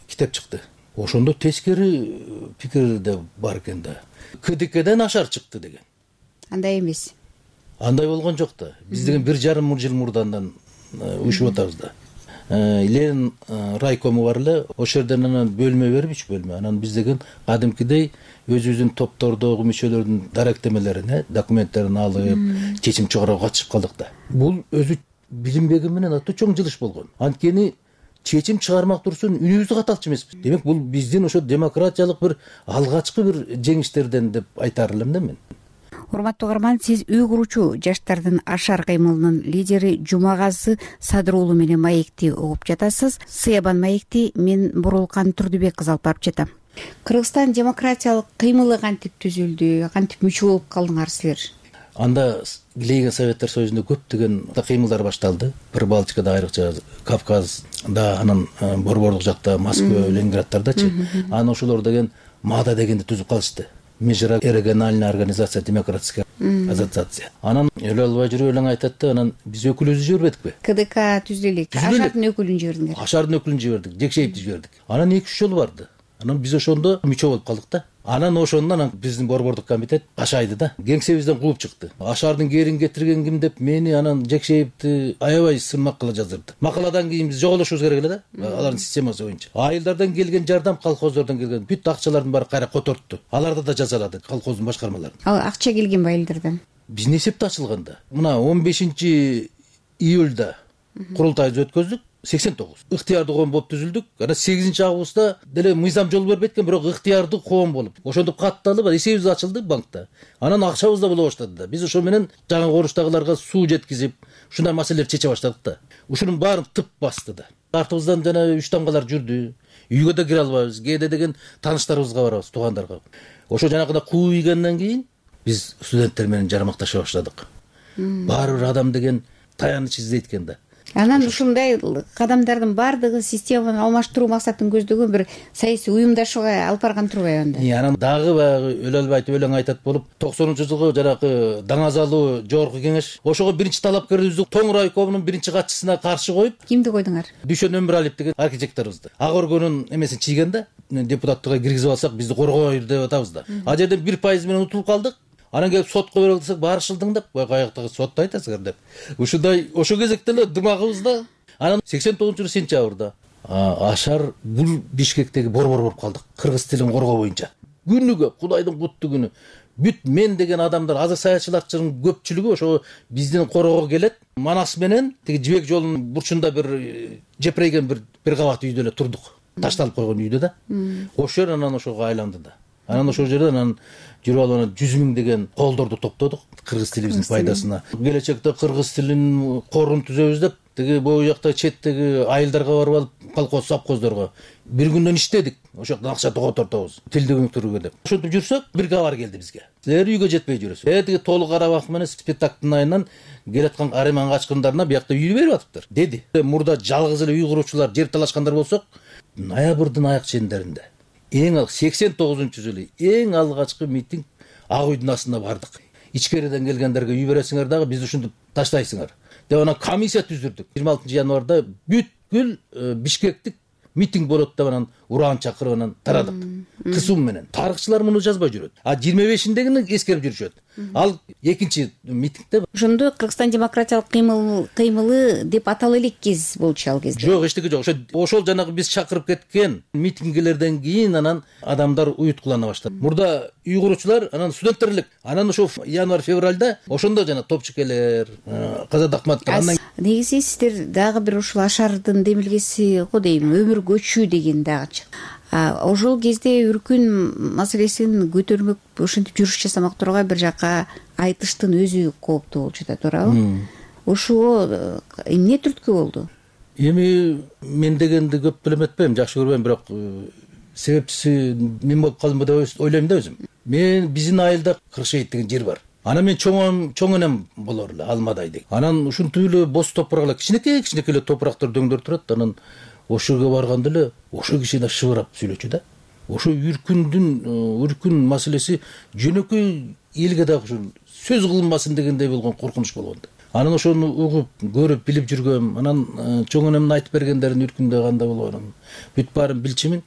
[SPEAKER 16] китеп чыкты. Ошондо тескери пикир да бар экен да. КДКден Ашар чыкты деген.
[SPEAKER 19] Андай эмес.
[SPEAKER 16] Андай болгон жок да. Биз деген бир жарым жыл мурдандан уюшуп атабыз да. Ленин райкому бар эле, ошол жерден анан бөлмө берип, үч бөлмө. Анан биз деген кадимкидей өзүбүздүн топтордогу мүчөлөрдүн даректемелерин, документтерин алып, чечим чыгарууга катышып калдык да. Бул өзү билинбеги менен аты чоң жылыш болгон. Анткени чечим чыгармак турсун үнүбүздү каталчу эмеспиз. Демек бул биздин ошо демократиялык бир алгачкы бир жеңиштерден деп айтар элем да мен.
[SPEAKER 19] урматтуу угарман, сиз үй куручу жаштардын ашар кыймылынын лидери Жумагазы Садыр уулу менен маекти угуп жатасыз. Сыябан маекти мен Бурулкан Турдубек кызы алып барып жатам. Кыргызстан демократиялык кыймылы кантип түзүлдү, кантип мүчө болуп калдыңар силер?
[SPEAKER 16] Анда Лейген Советтер Союзунда көптөгөн кыймылдар башталды. Прибалтикада, айрыкча Кавказда, анан Борборлук жакта, Москва, Ленинградтардачы. Анан ошолор деген МАДА дегенди түзүп калышты. Межрегиональная организация демократическая ассоциация. Анан өлө албай жүрүп элең айтат да, анан биз өкүлүбүздү жибербедикпи?
[SPEAKER 19] КДК түзүлөлүк. Ашардын өкүлүн жибердиңер.
[SPEAKER 16] Ашардын өкүлүн жибердик, Жекшеевди жибердик. Анан эки үч жол барды. Анан биз ошондо мүчө болуп калдык да. Анан ошондон биздин борбордук комитет Кашайды да. Кеңсебизден кууп чыкты. Ашардын кээрин кетирген ким деп мени анан Жекшеевди аябай сынмак кыла жаздырды. Макаладан кийин биз жоголошубуз керек эле да. Алардын системасы боюнча. Айылдардан келген жардам, колхоздордон келген бүт акчалардын баары кайра котортду. Аларды да жазалады, колхоздун башкармаларын.
[SPEAKER 19] Ал акча келген айылдардан?
[SPEAKER 16] Биздин эсепте ачылганда. Мына он бешинчи июлда курултайыбызды өткөздүк. сексен тогуз ыктыярдуу коом болуп түзүлдүк. Анан сегизинчи августта деле мыйзам жол бербей экен, бирок ыктыярдуу коом болуп ошентип катталып эсебибиз ачылды банкта. Анан акчабыз да боло баштады да. Биз ошо менен жаңы коруштагыларга суу жеткизип, ушундай маселелерди чече баштадык да. Ушунун баарын тып басты да. Артыбыздан жана үч тамгалар жүрдү. Үйгө да кире албайбыз. Кээде деген тааныштарыбызга барабыз, туугандарга. Ошо жанагындай куу ийгенден кийин биз студенттер менен жармакташа баштадык. Баары бир адам деген таяныч издейт экен да.
[SPEAKER 19] Анан ушундай кадамдардын баардыгы системаны алмаштыруу максатын көздөгөн бир саясий уюмдашууга алып барган турбайбы анда?
[SPEAKER 16] Анан дагы баягы өлө албай айтып өлең айтат болуп, токсонунчу жылкы жанагы Даңазалуу жогорку кеңеш ошого биринчи талапкерибизди Тоң райкомунун биринчи катчысына каршы коюп,
[SPEAKER 19] кимди койдуңар?
[SPEAKER 16] Дүйшөн Өмүралиев деген архитекторубузду. Ак өргөнүн эмесин чийген да, депутаттыкка киргизип алсак бизди коргойт деп атабыз да. А жерден бир пайыз менен утулуп калдык. Анан келип сотко берели десек, барышылдың деп, каяктагы сотто айтасыңар деп. Ушундай ошо кезекте эле дымагыбызда. Анан сексен тогузунчу жылы сентябрда Ашар бул Бишкектеги борбор болуп калдык, кыргыз тилин коргоо боюнча. Күнүгө, Кудайдын куттуу күнү бүт мен деген адамдар, азыр саятчылардын көпчүлүгү ошо биздин коргоого келет. Манас менен тиги Жибек жолунун бурчунда бир жепирейген бир бир кабат үйдө эле турдук. Ташталып койгон үйдө да. Ошо жер анан ошого айланды да. Анан ошол жерде анан жүрүп алып анан жүз миң деген колдорду топтодук кыргыз тилибиздин пайдасына. Келечекте кыргыз тилин корун түзөбүз деп тиги бою жакта четтеги айылдарга барып алып, колхоз совхоздорго бир күндөн иштедик. Ошол жактан акча тоготортобуз, тилди өнүктүрүүгө деп. Ошентип жүрсөк, бир кабар келди бизге. Силер үйгө жетпей жүрөсүз. Э тиги Толук Карабак менен спектаклдын айынан келаткан Ариман качкындарына биякта үй берип атыптыр, деди. Мурда жалгыз эле үй куручулар жер талашкандар болсок, ноябрдын аяк чендеринде эң ал сексен тогузунчу жылы эң алгачкы митинг Ак үйдүн астына бардык. Ичкериден келгендерге үй бересиңер дагы бизди ушинтип таштайсыңар деп анан комиссия түздүрдүк. жыйырма алтынчы январда бүткүл Бишкектик митинг болот деп анан ураан чакырып анан тарадык. Кысым менен. Тарыхчылар муну жазбай жүрөт. А жыйырма бешиндегини эскерип жүрүшөт. Ал экинчи митингде.
[SPEAKER 19] Ошондо Кыргызстан демократиялык кыймыл кыймылы деп атала элеккиз болчу ал кезде.
[SPEAKER 16] Жок, эчтеке жок. Ошо ошол жанагы биз чакырып кеткен митингилерден кийин анан адамдар уюткулана баштады. Мурда үй куручулар, анан студенттер элек. Анан ошо январь-февралда ошондо жана топчукелер, Казат Акматовдор андан
[SPEAKER 19] негизи сиздер дагы бир ушул Ашардын демилгеси го дейм, өмүр көчүү деген дагы чык. Ошол кезде үркүн маселесин көтөрмөк, ошентип жүрүш жасамак тургай бир жакка айтыштын өзү кооптуу болуп жатат, туурабы? Ошого эмне түрткү болду?
[SPEAKER 16] Эми мен дегенди көп билеметпейм, жакшы көрбөйм, бирок себепчиси мен болуп калдым деп ойлойм да өзүм. Мен биздин айылда Кыршейит деген жер бар. Анан мен чоң чоң энем болор эле, Алмадай деген. Анан ушинтип эле бос топурак, кичинекей кичинекей эле топурактар дөңдөр турат. Анан ошо жерге барганда эле ошо киши да шыбырап сүйлөчү да. Ошо үркүндүн үркүн маселеси жөнөкөй элге дагы ушул сөз кылынбасын дегендей болгон коркунуч болгон да. Анан ошону угуп, көрүп, билип жүргөм. Анан чоң энемдин айтып бергендерин үркүндө кандай болгонун бүт баарын билчимин.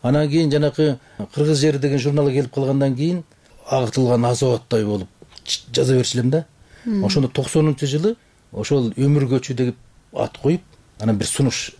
[SPEAKER 16] Анан кийин жанакы Кыргыз жери деген журналы келип калгандан кийин агытылган азабаттай болуп жаза берчилем да. Ошондо токсонунчу жылы ошол өмүр көчүү деп ат коюп, анан бир сунуш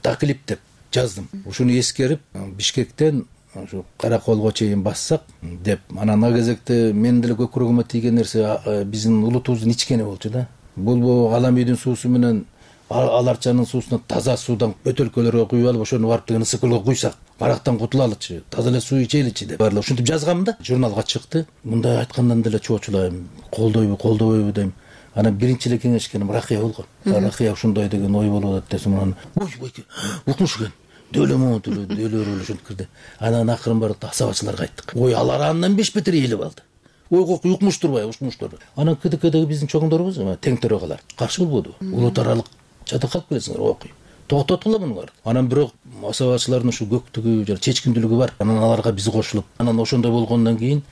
[SPEAKER 16] таклип деп жаздым. Ушуну эскерип Бишкектен ошо Караколго чейин бассак деп. Анан ага кезекте мен деле көкүрөгүмө тийген нерсе биздин улутубуздун ичкени болчу да. Бул алам үйдүн суусу менен аларчанын суусуна таза суудан бөтөлкөлөргө куюп алып ошону барып деген ысык көлгө куйсак карактан кутулалычы, таза эле суу ичеличи деп баарлап ушинтип жазгам да. Журналга чыкты. Мындай айткандан деле чоочулайм, колдойбу, колдобойбу дейм. Анан биринчи эле кеңешкеним Ракыя болгон. Ракыя ушундай деген ой болуп атат десем, анан ой бойке укмуш экен. Дөөлөмө деле дөөлөр ушинтип кирди. Анан акырын барып асабачыларга айттык. Ой алар андан беш бетер ээлеп алды. Ойго укмуш турбай, укмуштур. Анан КДКдеги биздин чоңдорубуз тең төрагалар каршы болбоду. Улут аралык жада калып келесиңер, окуй. Токтоткула муну бар. Анан бирок асабачылардын ушу көктүгү жана чечкиндүүлүгү бар. Анан аларга биз кошулуп, анан ошондой болгондон кийин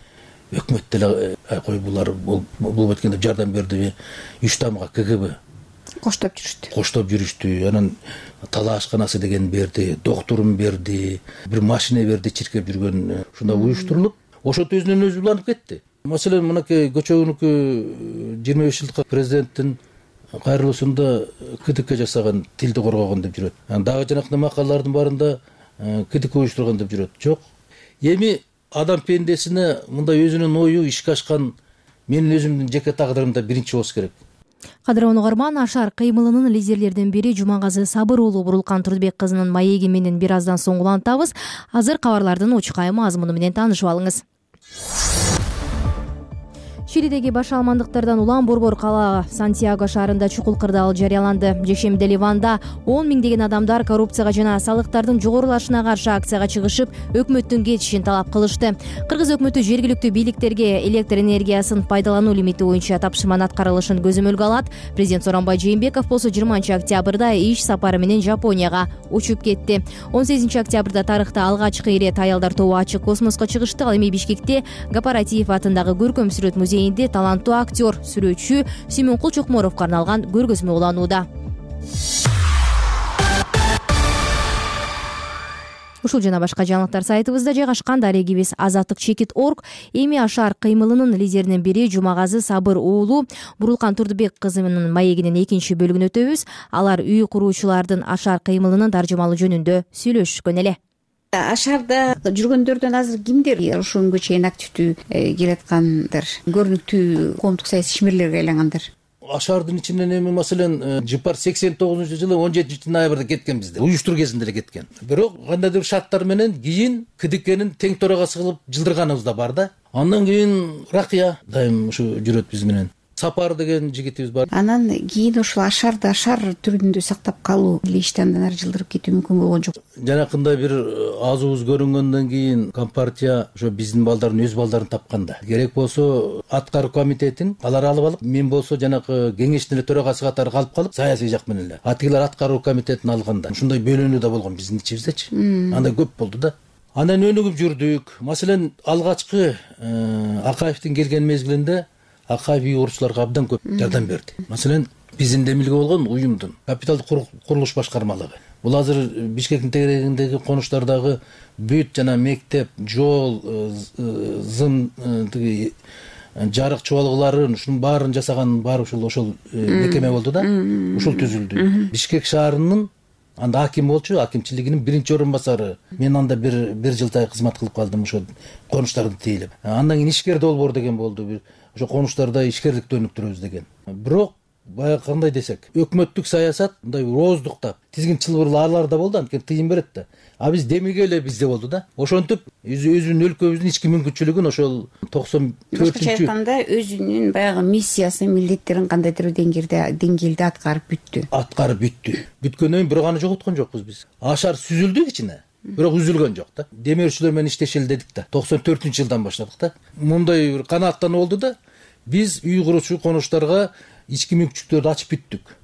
[SPEAKER 16] өкмөт деле кой булар болбойт экен деп жардам берди. Үч тамга КГБ
[SPEAKER 19] коштоп жүрүштү.
[SPEAKER 16] Коштоп жүрүштү. Анан талаашканасы деген берди, доктурун берди, бир машина берди, чиркеп жүргөн ушундай уюштурулуп, ошот өзүнөн өзү уланып кетти. Маселен, мынакей көчөгүнүкү жыйырма беш жылдык президенттин кайрылуусунда КДК жасаган, тилди коргогон деп жүрөт. Дагы жанакындай макалалардын барында КДК уюштурган деп жүрөт. Жок. Эми адам пендесине мындай өзүнүн ою ишке ашкан менин өзүмдүн жеке тагдырымда биринчи болуш керек.
[SPEAKER 2] Кадырлуу угарман, Ашар кыймылынын лидерлердин бири Жумагазы Сабыр уулу Бурулкан Турдбек кызынын маеги менен бир аздан соң улантабыз. Азыр кабарлардын учкай мазмуну менен таанышып алыңыз. Чилидеги баш алмандыктардан улам борбор кала Сантьяго шаарында чукул кырдаал жарыяланды. Жекшембиде Ливанда он миңдеген адамдар коррупцияга жана салыктардын жогорулашына каршы акцияга чыгышып, өкмөттүн кетишин талап кылышты. Кыргыз өкмөтү жергиликтүү бийликтерге электр энергиясын пайдалануу лимити боюнча тапшырманын аткарылышын көзөмөлгө алат. Президент Сооронбай Жээнбеков болсо жыйырманчы октябрда иш сапары менен Жапонияга учуп кетти. он сегизинчи октябрда тарыхта алгачкы ирет аялдар тобу ачык космоско чыгышты. Ал эми Бишкекте Гапаратиев атындагы көркөм сүрөт музейинде таланттуу актер, сүрөтчү Сүймөнкул Чокморовго арналган көргөзмө уланууда. Ушул жана башка жаңылыктар сайтыбызда жайгашкан. Дарегибиз азаттык чекит точка орг. Эми Ашар кыймылынын лидеринин бири Жумагазы Сабыр уулу Бурулкан Турдбек кызынын маегинин экинчи бөлүгүн өтөбүз. Алар үй куруучулардын Ашар кыймылынын таржымалоо жөнүндө сүйлөшкөн эле.
[SPEAKER 19] Ашарда жүргөндөрдөн азыр кимдер ушул күнгө чейин активдүү келаткандар, көрүнүктүү коомдук саясий ишмерлерге айлангандар?
[SPEAKER 16] Ашардын ичинен эми маселен Жыпар сексен тогузунчу жылы он жетинчи ноябрда кеткен бизде. Уюштуруу кезинде эле кеткен. Бирок кандайдыр шарттар менен кийин КДКнын тең төрагасы кылып жылдырганыбыз да бар да. Андан кийин Ракыя дайым ушу жүрөт биз менен. Сапар деген жигитибиз бар.
[SPEAKER 19] Анан кийин ушул Ашарды Ашар түрүндө сактап калуу эле ишти андан ары жылдырып кетүү мүмкүн болгон жок.
[SPEAKER 16] Жанакындай бир азыбыз көрүнгөндөн кийин Компартия ошо биздин балдардын өз балдарын тапканда, керек болсо аткаруу комитетин алар алып алып, мен болсо жанакы кеңештин эле төрагасы катары калып калып, саясий жак менен эле. Атигилер аткаруу комитетин алганда ушундай бөлүнүү да болгон биздин ичибиздечи. Андай көп болду да. Андан өнүгүп жүрдүк. Маселен, алгачкы Акаевдин келген мезгилинде Акаев үй куруучуларга абдан көп жардам берди. Маселен, биздин демилге болгон уюмдун капиталдык курулуш башкармалыгы. Бул азыр Бишкектин тегерегиндеги конуштардагы бүт жана мектеп, жол, зым, тиги жарык чубалгыларын, ушунун баарын жасаган баары ушул ошол мекеме болду да. Ушул түзүлдү. Бишкек шаарынын анда аким болчу, акимчилигинин биринчи орун басары. Мен анда бир бир жылдай кызмат кылып калдым ошо конуштарды тейлеп. Андан кийин ишкер долбоор деген болду. Ошо конуштарда ишкерликти өнүктүрөбүз деген. Бирок баягы кандай десек, өкмөттүк саясат мындай ооздуктап, тизгин чылбырлар аларда болду, анткени тыйын берет да. А биз демилге эле бизде болду да. Ошентип өзүнүн өлкөбүздүн ички мүмкүнчүлүгүн ошол токсон төртүнчү
[SPEAKER 19] башкача айтканда өзүнүн баягы миссиясын, милдеттерин кандайдыр деңгээлде деңгээлде аткарып бүттү.
[SPEAKER 16] Аткарып бүттү. Бүткөндөн кийин бирок аны жоготкон жокпуз биз. Ашар сүзүлдү кичине. Бирок үзүлгөн жок да. Демөөрчүлөр менен иштешели дедик да. токсон төртүнчү жылдан баштадык да. Мындай бир канааттануу болду да. Биз үй куруучу конуштарга ички мүмкүнчүлүктөрдү ачып бүттүк.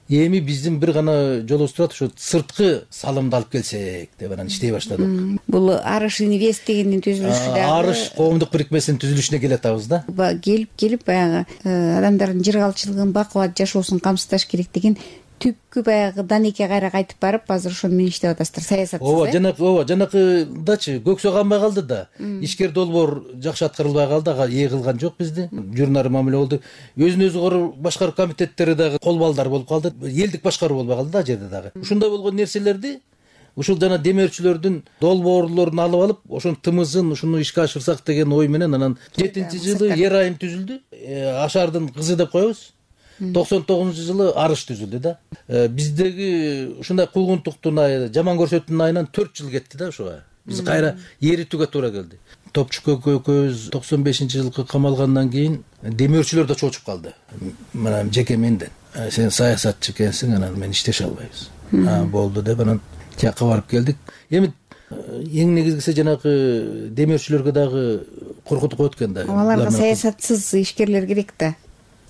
[SPEAKER 16] Эми биздин бир гана жолубуз турат, ошо сырткы салымды алып келсек деп анан иштей баштадык.
[SPEAKER 19] Бул Арыш инвест дегендин түзүлүшү дагы
[SPEAKER 16] Арыш коомдук бирикмесинин түзүлүшүнө келатабыз да.
[SPEAKER 19] Келип келип баягы адамдардын жыргалчылыгын, бакубат жашоосун камсыздаш керек деген түпкү баягы Данекке кайра кайтып барып, азыр ошону менен иштеп атасыздар, саясатсыз.
[SPEAKER 16] Ооба, жанакы, ооба, жанакыдачы көксө канбай калды да. Ишкер долбоор жакшы аткарылбай калды, ага ээ кылган жок бизди. Журнары мамиле болду. Өзүн өзү башкаруу комитеттери дагы кол балдар болуп калды. Элдик башкаруу болбой калды да жерде дагы. Ушундай болгон нерселерди ушул жана демөөрчүлөрдүн долбоорлорун алып алып, ошонун тымызын ушуну ишке ашырсак деген ой менен анан жетинчи жылы Ер айым түзүлдү. Ашардын кызы деп коебуз. токсон тогузунчу жылы арыш түзүлдү да. Биздеги ушундай куугунтуктун айы, жаман көрсөтүүнүн айынан төрт жыл кетти да ошого. Биз кайра эритүүгө туура келди. Топчук экөөбүз токсон бешинчи жылкы камалгандан кийин демөөрчүлөр да чочуп калды. Мына жеке менден. Сен саясатчы экенсиң, анан мен иштеше албайбыз. Болду деп анан тияка барып келдик. Эми эң негизгиси жанагы демөөрчүлөргө дагы коркутуп өткөн да.
[SPEAKER 19] Аларга саясатсыз ишкерлер керек да.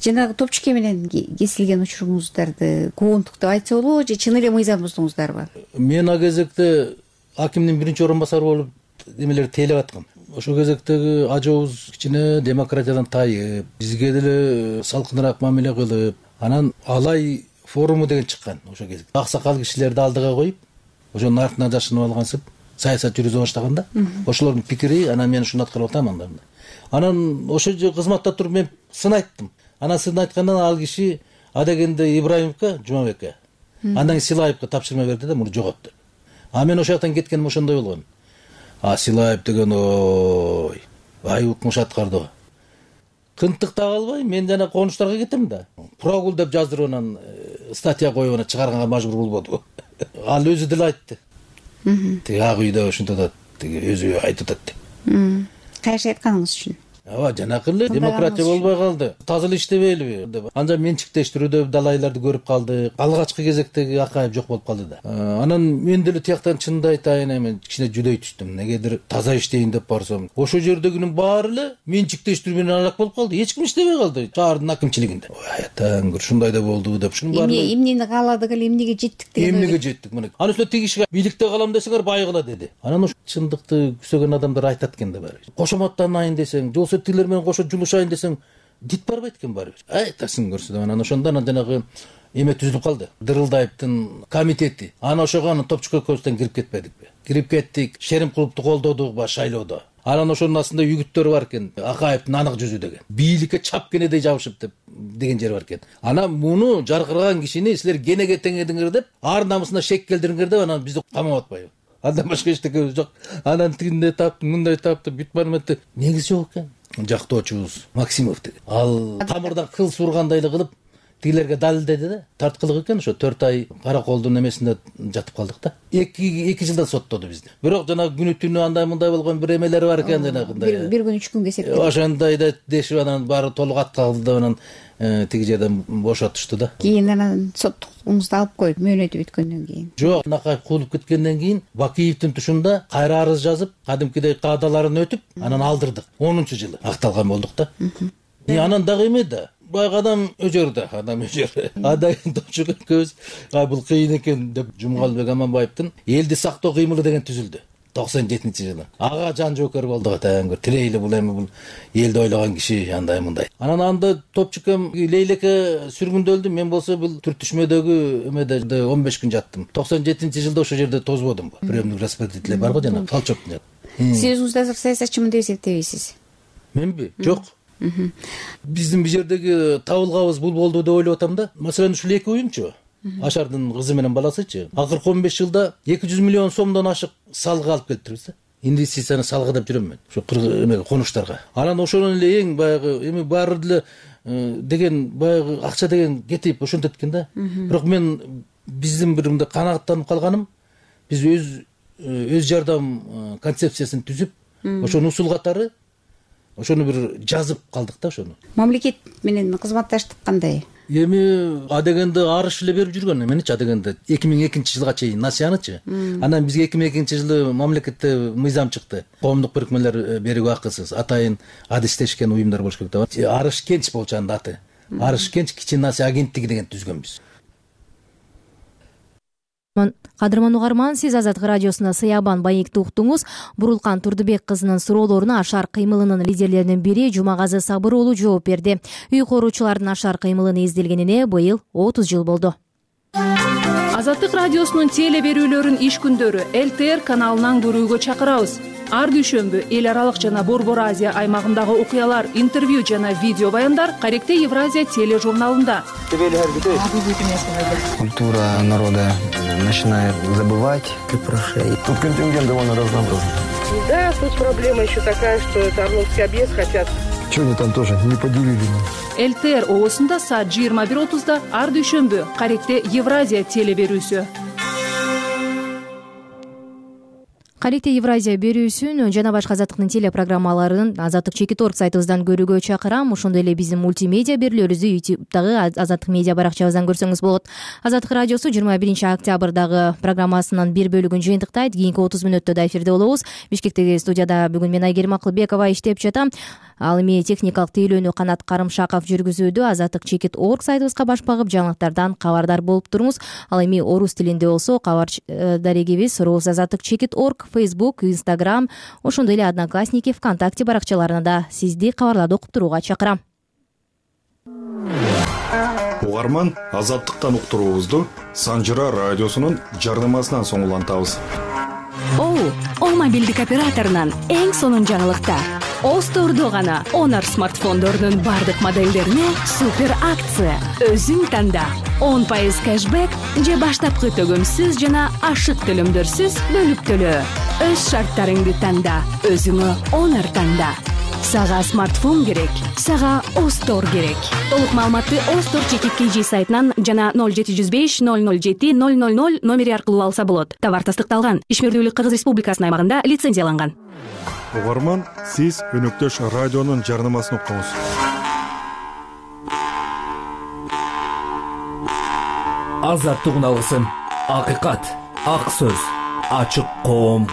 [SPEAKER 19] Жанагы топчуке менен кесилген учуруңуздарды куугунтук деп айтса болобу же чын эле мыйзам буздуңуздарбы?
[SPEAKER 16] Мен ал кезекте акимдин биринчи орун басары болуп эмелерди тейлеп аткам. Ошол кезектеги ажообуз кичине демократиядан тайып, бизге деле салкыныраак мамиле кылып, анан Алай форуму деген чыккан ошол кезде. Аксакал кишилерди алдыга коюп, ошонун артынан жашынып алгансып саясат жүргүзө баштаган да. Ошолордун пикири, анан мен ушуну аткарып атам анда. Анан ошо кызматта туруп мен сын айттым. Анан сын айткандан ал киши адегенде Ибраимовго, Жумабекке, андан кийин Силаевге тапшырма берди да, муну жогот деп. А мен ошол жактан кеткеним ошондой болгон. А Силаев деген ой, ай укмуш аткарды. Кынтыктап албай, мен жана конуштарга кетем да. Прогул деп жаздырып анан статья коюп анан чыгарганга мажбур болбодубу. Ал өзү деле айтты. Тиги ак үйдө ушинтип атат, тиги өзү айтып атат деп.
[SPEAKER 19] Кайсы айтканыңыз үчүн?
[SPEAKER 16] Ооба, жанакы эле демократия болбой калды. Таза эле иштебейбиби деп. Анан менчиктештирүүдө далайларды көрүп калдык. Алгачкы кезектеги Акаев жок болуп калды да. Анан мен деле тияктан чынды айтайын, эми кичине жүдөй түштүм. Негедир таза иштейин деп барсам, ошо жердегинин баары эле менчиктештирүү менен алак болуп калды. Эч ким иштебей калды шаардын акимчилигинде. Ой, атаң, ушундай да болду деп. Ушунун баары
[SPEAKER 19] эмнени кааладык эле, эмнеге жеттик деген.
[SPEAKER 16] Эмнеге жеттик мына. Анан ошо тиги кишиге бийликте калам десеңер байгыла деди. Анан ошо чындыкты күзөгөн адамдар айтат экен да баары. Кошоматтанайын десең, жолсо тилер менен кошо жулушайын десең, дит барбайт экен баары бир. Айтасың көрсө деп. Анан ошондо анан жанагы эме түзүлүп калды. Дырылдаевдин комитети. Анан ошого анан топчук экөөбүздөн кирип кетпедикпи? Кирип кеттик. Шеримкуловду колдодук ба шайлоодо. Анан ошонун астында үгүттөр бар экен. Акаевдин анык жүзү деген. Бийликке чап кенедей жабышып деп деген жер бар экен. Анан муну жаркыраган кишини силер кенеге теңедиңер деп, ар намысына шек келдириңер деп анан бизди камап атпайбы? Андан башка эчтекебиз жок. Анан тигинде таптым, мындай таптым, бүт барметти. Негизи жок экен. Жактоочубуз Максимов деген. Ал тамырдан кыл сургандай эле кылып тигилерге далилдеди да. Тарткылык экен, ошо төрт ай караколдун эмесинде жатып калдык да. эки эки жылдан соттоду бизди. Бирок жана күнү түнү андай мындай болгон бир эмелери бар экен жанагындай.
[SPEAKER 19] Бир күн үч күнгө эсептеп.
[SPEAKER 16] Ошондой да дешип анан баары толук аткалды деп анан тиги жерден бошотушту да.
[SPEAKER 19] Кийин анан соттугуңузду алып коюп мөөнөтү бүткөндөн кийин.
[SPEAKER 16] Жок, Накаев куулуп кеткенден кийин Бакиевдин тушунда кайра арыз жазып, кадимкидей каадаларын өтүп, анан алдырдык. онунчу жылы акталган болдук да. И анан дагы эме да. Баягы адам өжөр да, адам өжөр. Адай топчук экөөбүз, ай бул кыйын экен деп Жумгалбек Аманбаевдин элди сактоо кыймылы деген түзүлдү. токсон жетинчи жылы. Ага жан жоокер болдук атаңгыр. Тирейли бул эми бул элди ойлогон киши андай мындай. Анан анда топчукем Лейлеке сүргүндө өлдү. Мен болсо бул түртүшмөдөгү эмеде он беш күн жаттым. токсон жетинчи жылда ошол жерде тозбодум. Приемник распределитель бар го жана Фалчоктун.
[SPEAKER 19] Сиз өзүңүз азыр саясатчымын деп эсептейбисиз?
[SPEAKER 16] Менби? Жок. Биздин бул жердеги табылгабыз бул болду деп ойлоп атам да. Маселен ушул эки уюмчу. Ашардын кызы менен баласычы. Акыркы он беш жылда эки жүз миллион сомдон ашык салга алып келиптирбиз да. Инвестицияны салга деп жүрөм мен. Ошо эмеге конуштарга. Анан ошонун эле эң баягы эми баары деле деген баягы акча деген кетип ошентет экен да. Бирок мен биздин бир мындай канааттанып калганым, биз өз өз жардам концепциясын түзүп, ошонун усул катары ошону бир жазып калдык да ошону.
[SPEAKER 19] Мамлекет менен кызматташтык кандай?
[SPEAKER 16] Эми адегенде арыш эле берип жүргөн эменичи адегенде эки миң экинчи жылга чейин насыянычы. Анан бизге эки миң экинчи жылы мамлекетте мыйзам чыкты. Коомдук бирикмелер берүүгө акысыз, атайын адистешкен уюмдар болуш керек деп. Арыш Кенч болчу анда аты. Арыш Кенч кичи насыя агенттиги деген түзгөнбүз.
[SPEAKER 2] Кадырман угарман, сиз Азаттык радиосунда Сыябан Байекти уктуңуз. Бурулкан Турдубек кызынын суроолоруна Ашар кыймылынын лидерлеринин бири Жумагазы Сабыр уулу жооп берди. Үй коруучулардын Ашар кыймылыны изделгенине быйыл отуз жыл болду.
[SPEAKER 20] Азаттык радиосунун теле берүүлөрүн иш күндөрү эл тэ эр каналынан көрүүгө чакырабыз. Ар дүйшөмбү эл аралык жана Борбор Азия аймагындагы окуялар, интервью жана видео баяндар Каректе Евразия тележурналында.
[SPEAKER 21] Культура народа начинает забывать прошей. Тут контингент довольно разнообразный.
[SPEAKER 22] Да, тут проблема еще такая, что это Орловский объезд хотят
[SPEAKER 21] Чего они там тоже не поделили?
[SPEAKER 20] ЛТР оосунда саат жыйырма бир отузда ар дүйшөмбү Каректе Евразия теле берүүсү.
[SPEAKER 2] Каректе Евразия берүүсүн жана башка азаттыктын телепрограммаларын азаттык чекит точка орг сайтыбыздан көрүүгө чакырам. Ошондой эле биздин мультимедиа берүүлөрүбүздү ютубтагы азаттык медиа баракчабыздан көрсөңүз болот. Азаттык радиосу жыйырма биринчи октябрдагы программасынын бир бөлүгүн жыйынтыктайт. Кийинки отуз мүнөттө да эфирде болобуз. Бишкектеги студияда бүгүн мен Айгерим Акылбекова иштеп жатам. Ал эми техникалык тейлөөнү Канат Карымшаков жүргүзүүдө. Азаттык чекит точка орг сайтыбызга баш багып жаңылыктардан кабардар болуп туруңуз. Ал эми орус тилинде болсо кабар дарегибиз Рус азаттык чекит точка орг, Facebook, Instagram, ошондой эле Одноклассники, ВКонтакте баракчаларына да сизди кабарларды окуп турууга чакырам.
[SPEAKER 1] Угарман, азаттыктан уктуруубузду Санжыра радиосунун жарнамасынан соң улантабыз.
[SPEAKER 22] О, О мобилдик операторунан эң сонун жаңылыкта. Остордо гана Honor смартфондорунун бардык моделдерине супер акция. Өзүң танда. он пайыз кэшбэк же баштапкы төгөмсүз жана ашык төлөмдөрсүз бөлүп төлөө. Өз шарттарыңды танда, өзүңө Honor танда. Сага смартфон керек, сага Остор керек. Толук маалыматты Остор чекит кей жи сайтынан жана ноль жети жүз беш ноль ноль жети ноль ноль ноль номери аркылуу алса болот. Товар тастыкталган, Ишмердүүлүк Кыргыз Республикасынын аймагында лицензияланган.
[SPEAKER 1] Угарман, сиз өнөктөш радионун жарнамасын уктуңуз.
[SPEAKER 12] Азаттык үн алгысы, акыйкат, ак сөз, ачык коом.